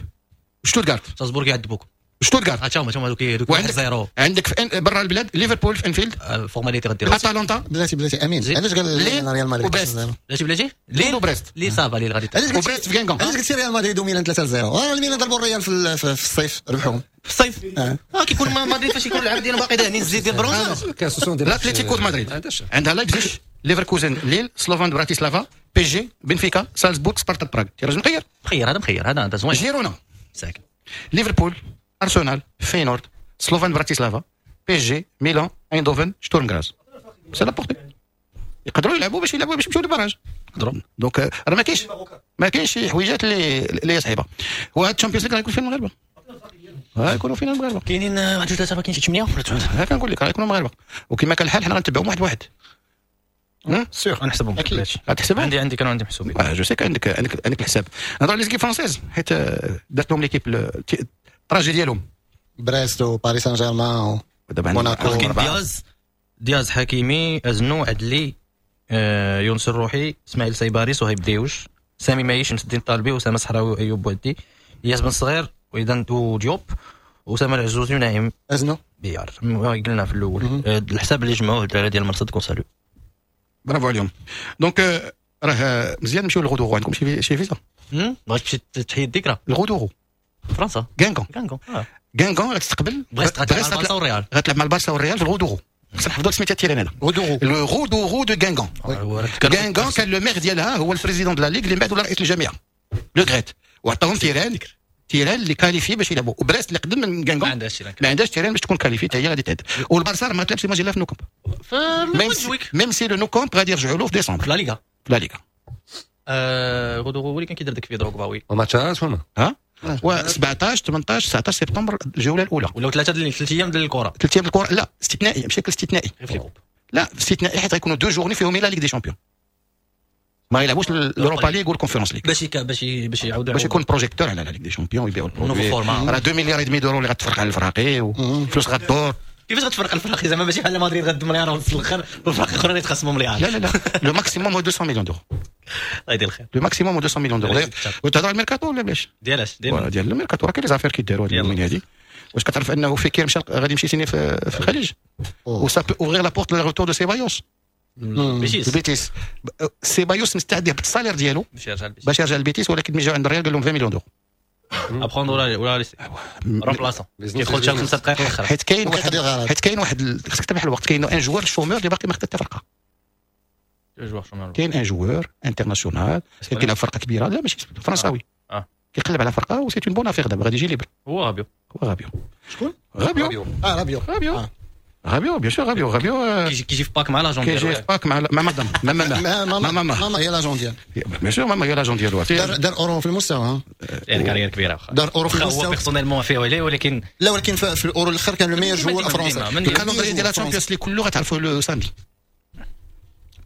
B: شتوتغارت.
E: سالزبورغ يعذبوك.
B: شتوتغارت.
E: تا هما دوك 1-0.
B: عندك في برا البلاد ليفربول في انفيلد،
E: formalité غدير.
B: اتلانتا.
C: بلاتي بلاتي امين، علاش قال ريال مدريد؟
B: وبريست.
E: بلاتي بلاتي
B: ليل وبريست.
E: لي ça va ليل غادي
B: وبريست في غانغون.
C: علاش قلتي ريال مدريد وميلان 3-0؟ الميلان ضربوا الريال في الصيف، ربحوهم
E: في الصيف. كيكون مدريد فاش يكون العاب ديالهم باقي داهنين الزيت ديال البرونز.
B: الاتليتيكو مدريد عندها لايبزيش، ليفركوزن، ليل، سلوفان براتيسلافا، PSG، بنفيكا، سالزبورغ، سبارتا براغ. tirage مخير.
E: مخير هذا، مخير هذا زوين.
B: جيرونا
E: ساكن.
B: ليفربول، ارسنال، فينورد، سلوفان براتيسلافا، PSG، ميلان، ايندوفن، شتورم غراز. c'est la portée. يقدروا يلعبوا باش يلعبوا باش يمشيو لل barrages.
E: يقدروا.
B: donc راه ما كاينش شي حويجات اللي صعيبة. وهاد ال Champions League راه يكون فينا المغاربة. غيكونوا فينا المغاربة.
E: كاينين 1 2 3 كاين شي 8 ولا 9.
B: ها كنقول لك راه يكونوا المغاربة، وكما كان الحال حنا غنتبعوهم واحد واحد.
E: sûr غنحسبهم.
B: غتحسبهم؟
E: عندي كانوا عندي محسوبين.
B: je sais عندك عندك الحساب. نهضروا على les équipes françaises حيت درت لهم l'équipe ال trajet ديالهم.
C: بريست وباريس سان جيرمان موناكو.
E: كاين دياز حكيمي، ازنو، عدلي، يونس الروحي، اسماعيل سيباري، صهيب ديوش، سامي مايش، شمس الدين الطالبي، اسامة صحراوي، وايوب بوعدي، اياس بن صغير، وايضا ديوب، اسامة العزوزي، ونعيم
C: ازنو
E: بيار. قلنا في الاول الحساب اللي جمعوه الدراري ديال المرصد كونسالو.
B: برافو عليهم. donc راه مزيان نمشيو للغودوغو. عندكم شي فيزا؟
E: بغيت تمشي تحيي الذكرى
B: الغودوغو
E: فرنسا.
B: غانغون. غانغون غتستقبل
E: بريست، غتلعب مع البارسا والريال.
B: غتلعب مع البارسا والريال في الغودوغو. خصنا نحفظوا سميتها ال terrain هذا، الغودوغو de غانغون. غانغون كان le maire ديالها هو ال président de la ligue اللي من بعد ولا رئيس الجامعة لو غريت، وعطاهم terrain اللي qualifié باش يلعبوا. وبريست اللي قدم من غانغون ما عندهاش terrain باش تكون qualifiée، حتى هي غادي تعد. والبارسا ما تلعبش ماجيلا في Nou Camp، même si le Nou Camp غادي يرجعوا له في ديسمبر
E: في لا ليغا.
B: في لا ليغا
E: غودوغو هو اللي كان كيدير داك في دروغبا. oui
D: وماتشات هما
B: ها و 17 18 19 سبتمبر الجولة الاولى.
E: ولاو 3 ايام ديال الكره.
B: 3 ايام الكره. لا استثنائي، بشكل استثنائي. لا استثنائي حيت غيكونوا deux journées فيهم la Ligue des Champions، ما يلعبوش l'Europa League وال Conference League
E: باش يعاودوا
B: باش يكون projecteur على la Ligue des Champions ويبيعوا ال produit. راه 2 مليار demi d'euros اللي غتفرق على الفراقي وفلوس غدور.
E: كيفاش غتفرق الفراقي زعما؟ ماشي بحال مدريد غد مليار ونص في الاخر والفراقي الاخرين يتخصموا مليار.
B: لا لا لا le maximum هو 200 millions d'euros.
E: الله يدير الخير.
B: le maximum هو 200 millions d'euros. وتهضر على الميركاتو ولا بلاش؟
E: ديالاش؟
B: ديال الميركاتو راه كاين les affaires كيداروا هاد اليومين هادي. واش كتعرف انه فيكير مشى غادي يمشي signer في الخليج و ça peut ouvrir la porte le retour de سيبايوس. البيتيس. سيبايوس مستعد يهبط ال salaire ديالو باش يرجع للبيتيس، ولكن ملي جاو عند الريال قال لهم 20 millions d'euros
E: à prendre ولا laisser remplaçant كيدخل حتى 5 دقائق الاخر.
B: حيت كاين واحد، حيت كاين واحد خصك تربح الوقت. كاين un joueur chômeur اللي باقي ما خدا حتى فرقه. كاين un joueur international كيلعب فرقه كبيرة، لا ماشي فرنساوي، كيقلب على فرقه و c'est une bonne affaire. دابا غادي يجي libre.
E: هو رابيو.
B: هو رابيو.
C: شكون؟
B: رابيو.
C: رابيو.
B: رابيو رابيو bien sûr. رابيو رابيو
E: كيجي في pack مع l'agent
B: ديالو. كيجي في pack مع مدام ماما
C: ماما ماما هي l'agent ديالو.
B: bien sûr ماما هي l'agent ديالو.
C: دار اورو في المستوى.
E: يعني carrière كبيرة واخا
C: دار اورو في المستوى.
E: هو personnellement فيه عليه، ولكن
C: لا ولكن في الاورو الاخر كان le meilleur joueur français.
B: ال calendrier ديال Champions League كله غتعرفوا le samedi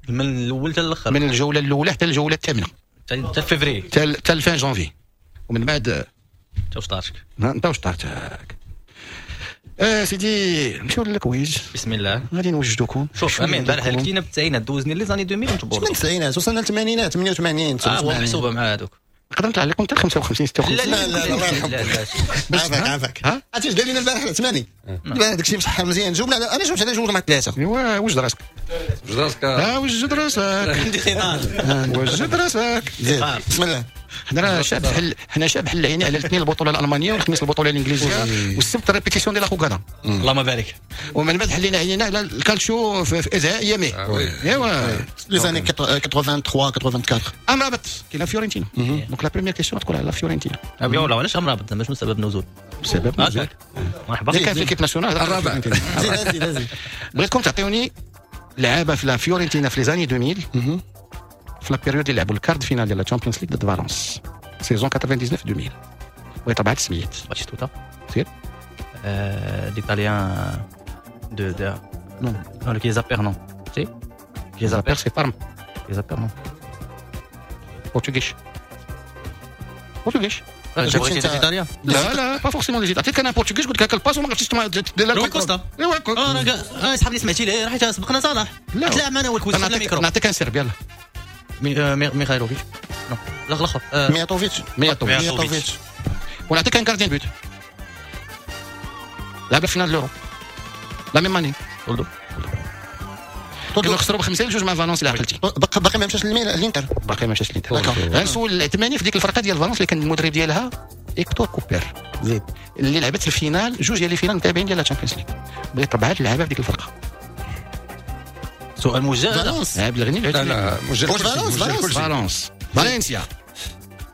E: من الاول حتى الاخر،
B: من الجولة الاولى حتى الجولة الثامنة
E: حتى فيفري
B: حتى fin janvier، ومن بعد
E: انت وشطارتك.
B: انت وشطارتك سيدي. نمشيو لل quiz.
E: بسم الله.
B: غادي نوجدوكم.
E: شوف امين البارح هلكتينا بالتسعينات، دوزني les années 2000 وتبور.
C: من التسعينات وصلنا للثمانينات 88
E: 89 محسوبة مع هذوك.
B: نقدر نطلع لكم حتى 55 56.
C: لا لا لا الله يرحمك. عافاك عافاك. عرفتي اش قال لنا البارح العثماني؟ البارح داكشي مصحح مزيان. جاوبنا، انا جاوبت على جوج مع ثلاثة.
B: ايوا وجد راسك.
D: وجد راسك.
B: وجد راسك.
E: عندي خطاب.
B: وجد راسك.
C: بسم الله.
B: حنا شعب حل، حنا شعب حل عيني على الاثنين البطولة الالمانية والخميس البطولة الانجليزية والسبت répétition ديال la
E: اللهم بارك.
B: ومن بعد حلينا عينينا على الكالتشو في ازهاء ايامي. ايوا
C: les années 83 84.
B: امرابط كاين فيورنتينا. donc la première question تكون على فيورنتينا.
E: ولا علاش امرابط زعما شنو سبب النزول؟
B: سبب النزول
E: مرحبا.
B: كان في l'équipe nationale
D: الرابع.
C: زيد زيد زيد.
B: بغيتكم تعطيوني لعابه في la فيورنتينا في les années 2000 في la période اللي لعبوا ال quart de finale ديال Champions League ضد فالونس saison 99 2000. بغيت اربعة السميات.
E: باتيستوتا.
B: سير.
E: l'Italien de de
B: non
E: non كيزا بير non si
B: كيزا بير c'est بارما.
E: كيزا بير non
B: portugais portugais.
E: ايطاليا؟
B: لا لا pas forcément les عطيتك انا portugais قلت لك ال passe وما عرفتش
E: دير روي كوستا. انا صحابي سمعتي ليه راه سبقنا صلاح تلاعب معنا هو ال quiz في الميكرو.
B: نعطيك un Serbe يلاه.
E: ميخايلوفيتش non لا الاخر
C: مياتوفيتش.
B: مياتوفيتش. ونعطيك un gardien but. لعب finale l'Euro la même année.
E: تولدو
B: كانوا خسروا ب5-2 مع فالونس اللي عقلتي.
C: باقي ما مشاش للانتر.
B: باقي ما مشاش للانتر. غنسول العثماني في ديك الفرقة ديال فالونس اللي كان المدرب ديالها ايكتور كوبير
C: زيد
B: اللي لعبت ال finale، جوج ديال les finales متابعين ديال la Champions League. بغيت 4 اللعابه في ديك الفرقة.
E: سؤال موجه.
C: فالونس
B: عبد الغني.
D: لا لا موجه.
B: فالونس فالنسيا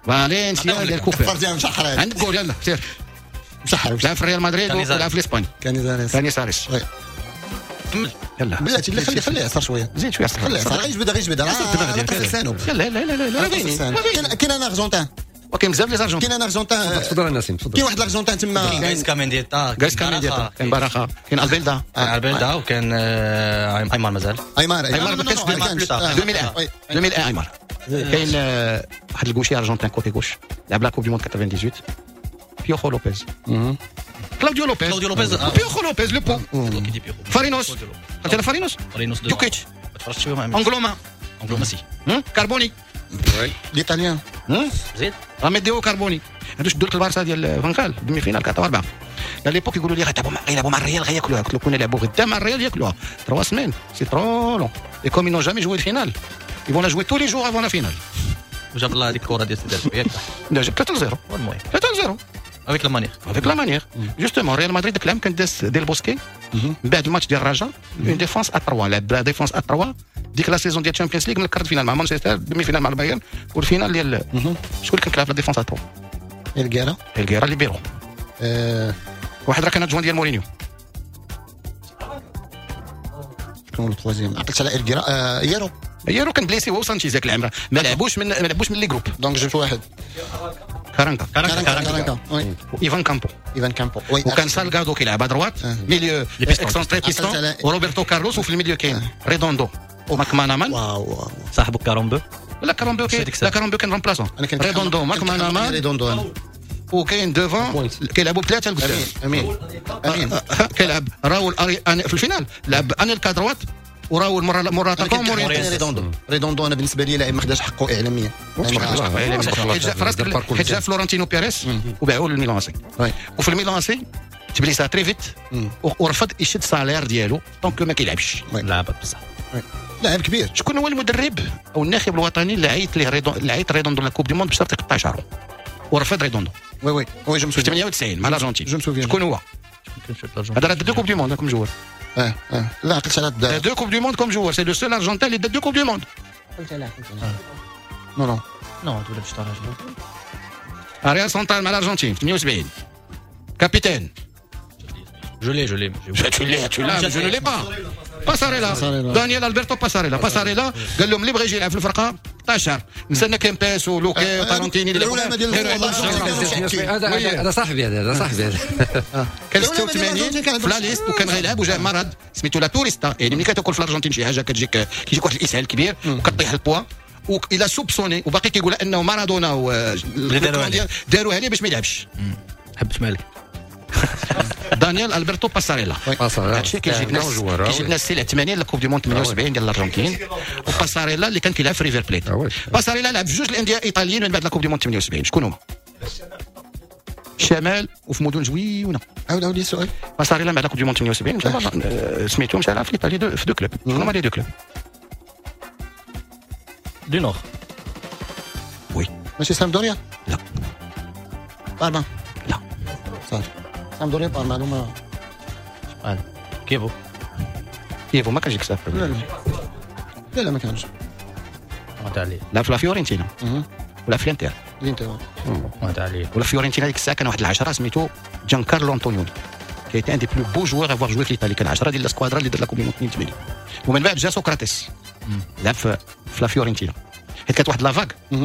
B: فالنسيا ديال كوبير.
C: مشحر
B: عندك جول يلا سير.
C: مشحر.
B: لعب في ريال مدريد ولعب في الاسباني.
C: كانيزاريس.
B: كانيزاريس. يلا
C: بلاتي لا خليه خليه يعصر شوية.
B: زيد شوية.
C: خليه يعصر غير يجبد غير يجبد راه
B: يلا لا لا لا
C: لا كاين un Argentin
B: وكاين بزاف les Argentins.
C: كاين un Argentin.
D: تفضل نسيم تفضل.
C: كاين واحد الارجنتين تما.
E: كاين غايسكا مينديتا.
B: غايسكا مينديتا كاين باراخا كاين البيلدا.
E: البيلدا وكان ايمار مازال.
C: ايمار
B: ايمار ما كانش 2001 2001 ايمار. كاين واحد ال gaucher argentin côté gauche لعب la Coupe du Monde 98 بيوخو لوبيز. كلاوديو لوبيز.
E: كلاوديو لوبيز.
B: بيوخو لوبيز le pont. فارينوس. قلت انا فارينوس.
E: فارينوس.
B: جوكيتش.
E: تفرجت فيهم.
B: انغلوما.
E: انغلوما si.
B: كاربوني.
C: l'Italien.
E: زيد.
B: راميديو كاربوني. هادو شدوا لك البارسا ديال فانخال demi-finale 4-4. à l'époque يقولوا لي غيلعبوا مع الريال غياكلوها. قلت لهم كنا لعبوا غدا مع الريال ياكلوها. 3 semaines c'est trop long et comme ils n'ont jamais joué finale ils vont la jouer tous les jours avant la finale.
E: وجاب الله هذيك الكره ديال سيدي ياك.
B: لا جاب 3-0.
E: المهم
B: 3-0
E: avec la manière.
B: avec la manière justement ريال مدريد داك العام كان داس ديال بوسكي من بعد الماتش ديال الرجاء une défense à 3 لعب défense à 3 ديك la saison ديال Champions League من ال quart de finale مع مانشستر demi-finale مع البايرن وال finale ديال شكون اللي كان كيلعب la défense à 3؟
C: إلغيرا.
B: إلغيرا ليبيرو. واحد راه كان adjoint ديال مورينيو.
C: شكون ال troisième؟ عقلت على إلغيرا. يارو.
B: يارو كان blessé هو وسانشيز ذاك العام ما لعبوش من les groupes.
C: donc جبت واحد.
B: كارانكا.
C: كارانكا. oui.
B: ايفان كامبو.
C: ايفان كامبو oui.
B: وكان سالغادو كيلعب à droite milieu excentré piston وروبرتو كارلوس وفي ال milieu كاين ريدوندو وماكمانامان.
C: واو
E: صاحبو كارامبو.
B: لا كارامبو لا كارامبو كان remplaçant. ريدوندو ماكمانامان
C: ريدوندو
B: وكاين devant كيلعبوا بثلاثة لقدام.
C: امين امين.
B: كيلعب راول في ال finale لعب انيلكا droite وراول موراتا
C: ريدوندو. ريدوندو انا بالنسبة لي لاعب ما خداش حقه اعلاميا.
B: حيت جا فلورنتينو بيريس وباعوه للميلان سي. وفي الميلان سي تبليسا très vite ورفض يشد salaire ديالو donc ما كيلعبش.
E: لعب بصح
C: لاعب كبير.
B: شكون هو المدرب او الناخب الوطني اللي عيط ليه ريدوندو اللي عيط ريدوندو la Coupe du Monde بشرط يقطع شعره ورفض ريدوندو؟
C: oui oui oui je
B: في 98 مع الارجنتين. شكون هو؟ هذا راه deux Coupes du Monde comme joueur.
C: لا عقلت على
B: deux Coupes du Monde comme joueur c'est le seul Argentin اللي دا deux Coupes du Monde.
C: عقلت على non non
E: non تولى باش طراج
B: arrière central مع الارجنتين في 78 capitaine.
E: je l'ai je l'ai
B: tu l'as tu l'as je ne l'ai pas. باساريلا دانيال البرتو باساريلا. باساريلا قال لهم اللي بغى يجي يلعب في الفرقة 16 نسالنا كيمباس ولوكي وتارونتيني
D: اللي هذا صاحبي هذا صاحبي هذا
B: كان 86 في la liste وكان غيلعب وجاه مرض سميتو la turista. يعني ملي كتاكل في الارجنتين شي حاجة كتجيك كيجيك واحد الاسهال كبير وكطيح ال poids و il a soupçonné وباقي كيقول انه مارادونا داروها ليه باش ما يلعبش.
E: حبت مالك
B: دانيال البرتو باساريلا. هادشي كيجيب ناس كيجيب ناس السي 80 la Coupe du Monde 78 ديال الارجنتين. وباساريلا اللي كان كيلعب في ريفر بليت. باساريلا لعب في جوج الاندية الايطاليين من بعد la Coupe du Monde 78. شكون هما؟ الشمال وفي مدن زويونه.
C: عاود عاود لي السؤال.
B: باساريلا بعد la Coupe du Monde 78 مشى سميتو مشى لعب في ايطاليا في deux clubs. شكون هما les deux clubs؟
E: du nord.
B: oui
C: ماشي سامدوريا؟
B: لا.
C: بارما؟
B: لا.
C: صافي سامدوريا بارما معلومة.
E: كيفو
B: كيفو ما كانش يكسب.
C: لا لا لا ما كانش.
B: لا في لا فيورنتينا ولا في الانتر.
C: الانتر
B: ولا فيورنتينا ديك الساعة كان واحد العشرة سميتو جان كارلو انطونيوني qui était un des plus beaux joueurs à avoir joué في ايطاليا. كان 10 ديال la squadra اللي دار la Coupe du Monde 82. ومن بعد جا سقراطس لعب في لا فيورنتينا حيت كانت واحد la vague.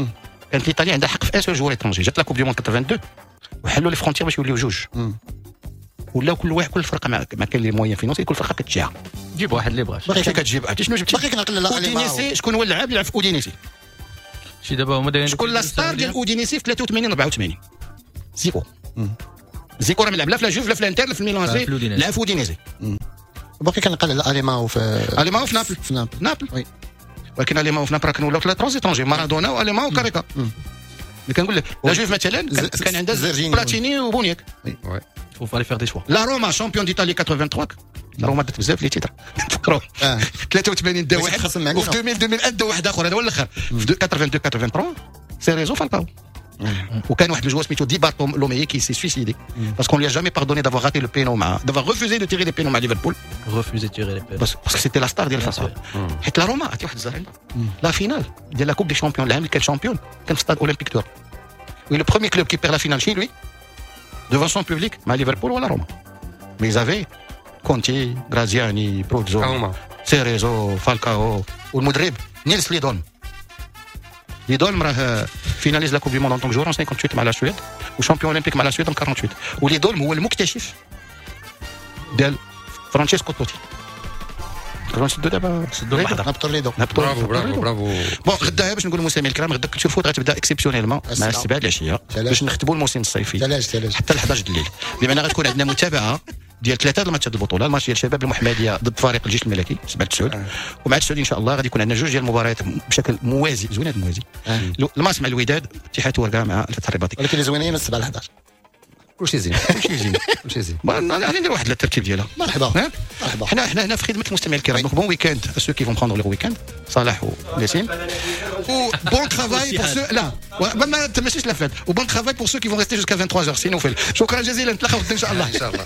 B: كانت ايطاليا عندها حق في un seul joueur étranger. جات la Coupe du Monde 82 وحلوا les frontières باش يوليو جوج. ولاو كل واحد كل فرقه ما كاين les moyens financiers كل فرقه كتجيها
E: جيب واحد اللي بغاش.
B: باقي كتجيب عرفتي شنو جبتي؟
C: باقي كنعقل على
B: اودينيسي. شكون هو اللاعب اللي لعب في اودينيسي؟
E: شي دابا هما دايرين
B: شكون la star ديال اودينيسي في 83 84؟ زيكو. زيكو راه ما لعب لا في لا جوف لا في الانتر لا في الميلان سي لعب في اودينيسي.
C: باقي كنعقل على اليماو في
B: اليماو في نابل.
C: في نابل
B: نابل. ولكن اليماو في نابل راه كانوا ولاو 3 étrangers مارادونا واليماو وكاريكا. اللي كنقول لك la Juve مثلا كان عندها بلاتيني وبونياك.
E: faut fallait faire des choix.
B: la Roma championne d'Italie 83، la Roma دات بزاف les titres، تفكروا. 83 دا واحد، وفي 2000 2001 دا واحد اخر، هذا هو الاخر. في 82 83 سيريزو فالكاو. وكان واحد ال joueur سميتو دي بارتولومي qui s'est suicidé parce qu'on lui a jamais pardonné d'avoir raté le péno مع d'avoir refusé de tirer les pénos مع ليفربول.
E: refusé tirer les pénos
B: parce que c'était la star ديال الفرقه. حيت la Roma عرفتي واحد الزهر، la finale ديال la Coupe des champions العام اللي كان champion كان في stade olympique de Rome، le premier club qui perd la finale chez lui devant son public مع ليفربول ولا روما. mais ils avaient كونتي، غرازياني، بروتزو، سيريزو، فالكاو، والمدرب نيلس ليدون. ليدولم راه finaliste la Coupe du monde en tant que joueur 58 مع la Suède و champion olympique مع la Suède 48. وليدولم هو المكتشف ديال فرانشيسكو توتي. نسدو دابا.
E: سدوا المحضر.
C: نهبطوا ليدو.
D: bravo bravo bravo.
B: bon، غدا باش نقول للمستمعين الكرام، غدا Culture Foot غتبدا exceptionnellement مع 7 العشية باش نختموا الموسم الصيفي حتى ل 11 الليل، بمعنى غتكون عندنا متابعه ديال ثلاثة الماتشات البطوله، الماتش ديال شباب المحمدية ضد فريق الجيش الملكي 7 9، ومع 9 ان شاء الله غادي يكون عندنا جوج ديال المباريات بشكل موازي، زوين هذا الموازي، الماتش مع الوداد، اتحاد ورقة مع الفتح الرباطي.
C: ولكن اللي زوينين من 7 ل 11.
D: كلشي زين.
B: كلشي زين.
D: كلشي زين.
B: غادي ندير واحد الترتيب ديالها.
C: مرحبا مرحبا.
B: حنا هنا في خدمة المستمعين الكرام. donc bon week-end ceux qui vont prendre le week-end، صلاح ونسيم، و bon travail pour ceux لا ما تمشيش la fête، و bon travail pour ceux qui vont rester jusqu'à 23 سي نوفل. شكرا جزيلا، نتلاقاو غدا ان شاء الله.
D: ان شاء الله.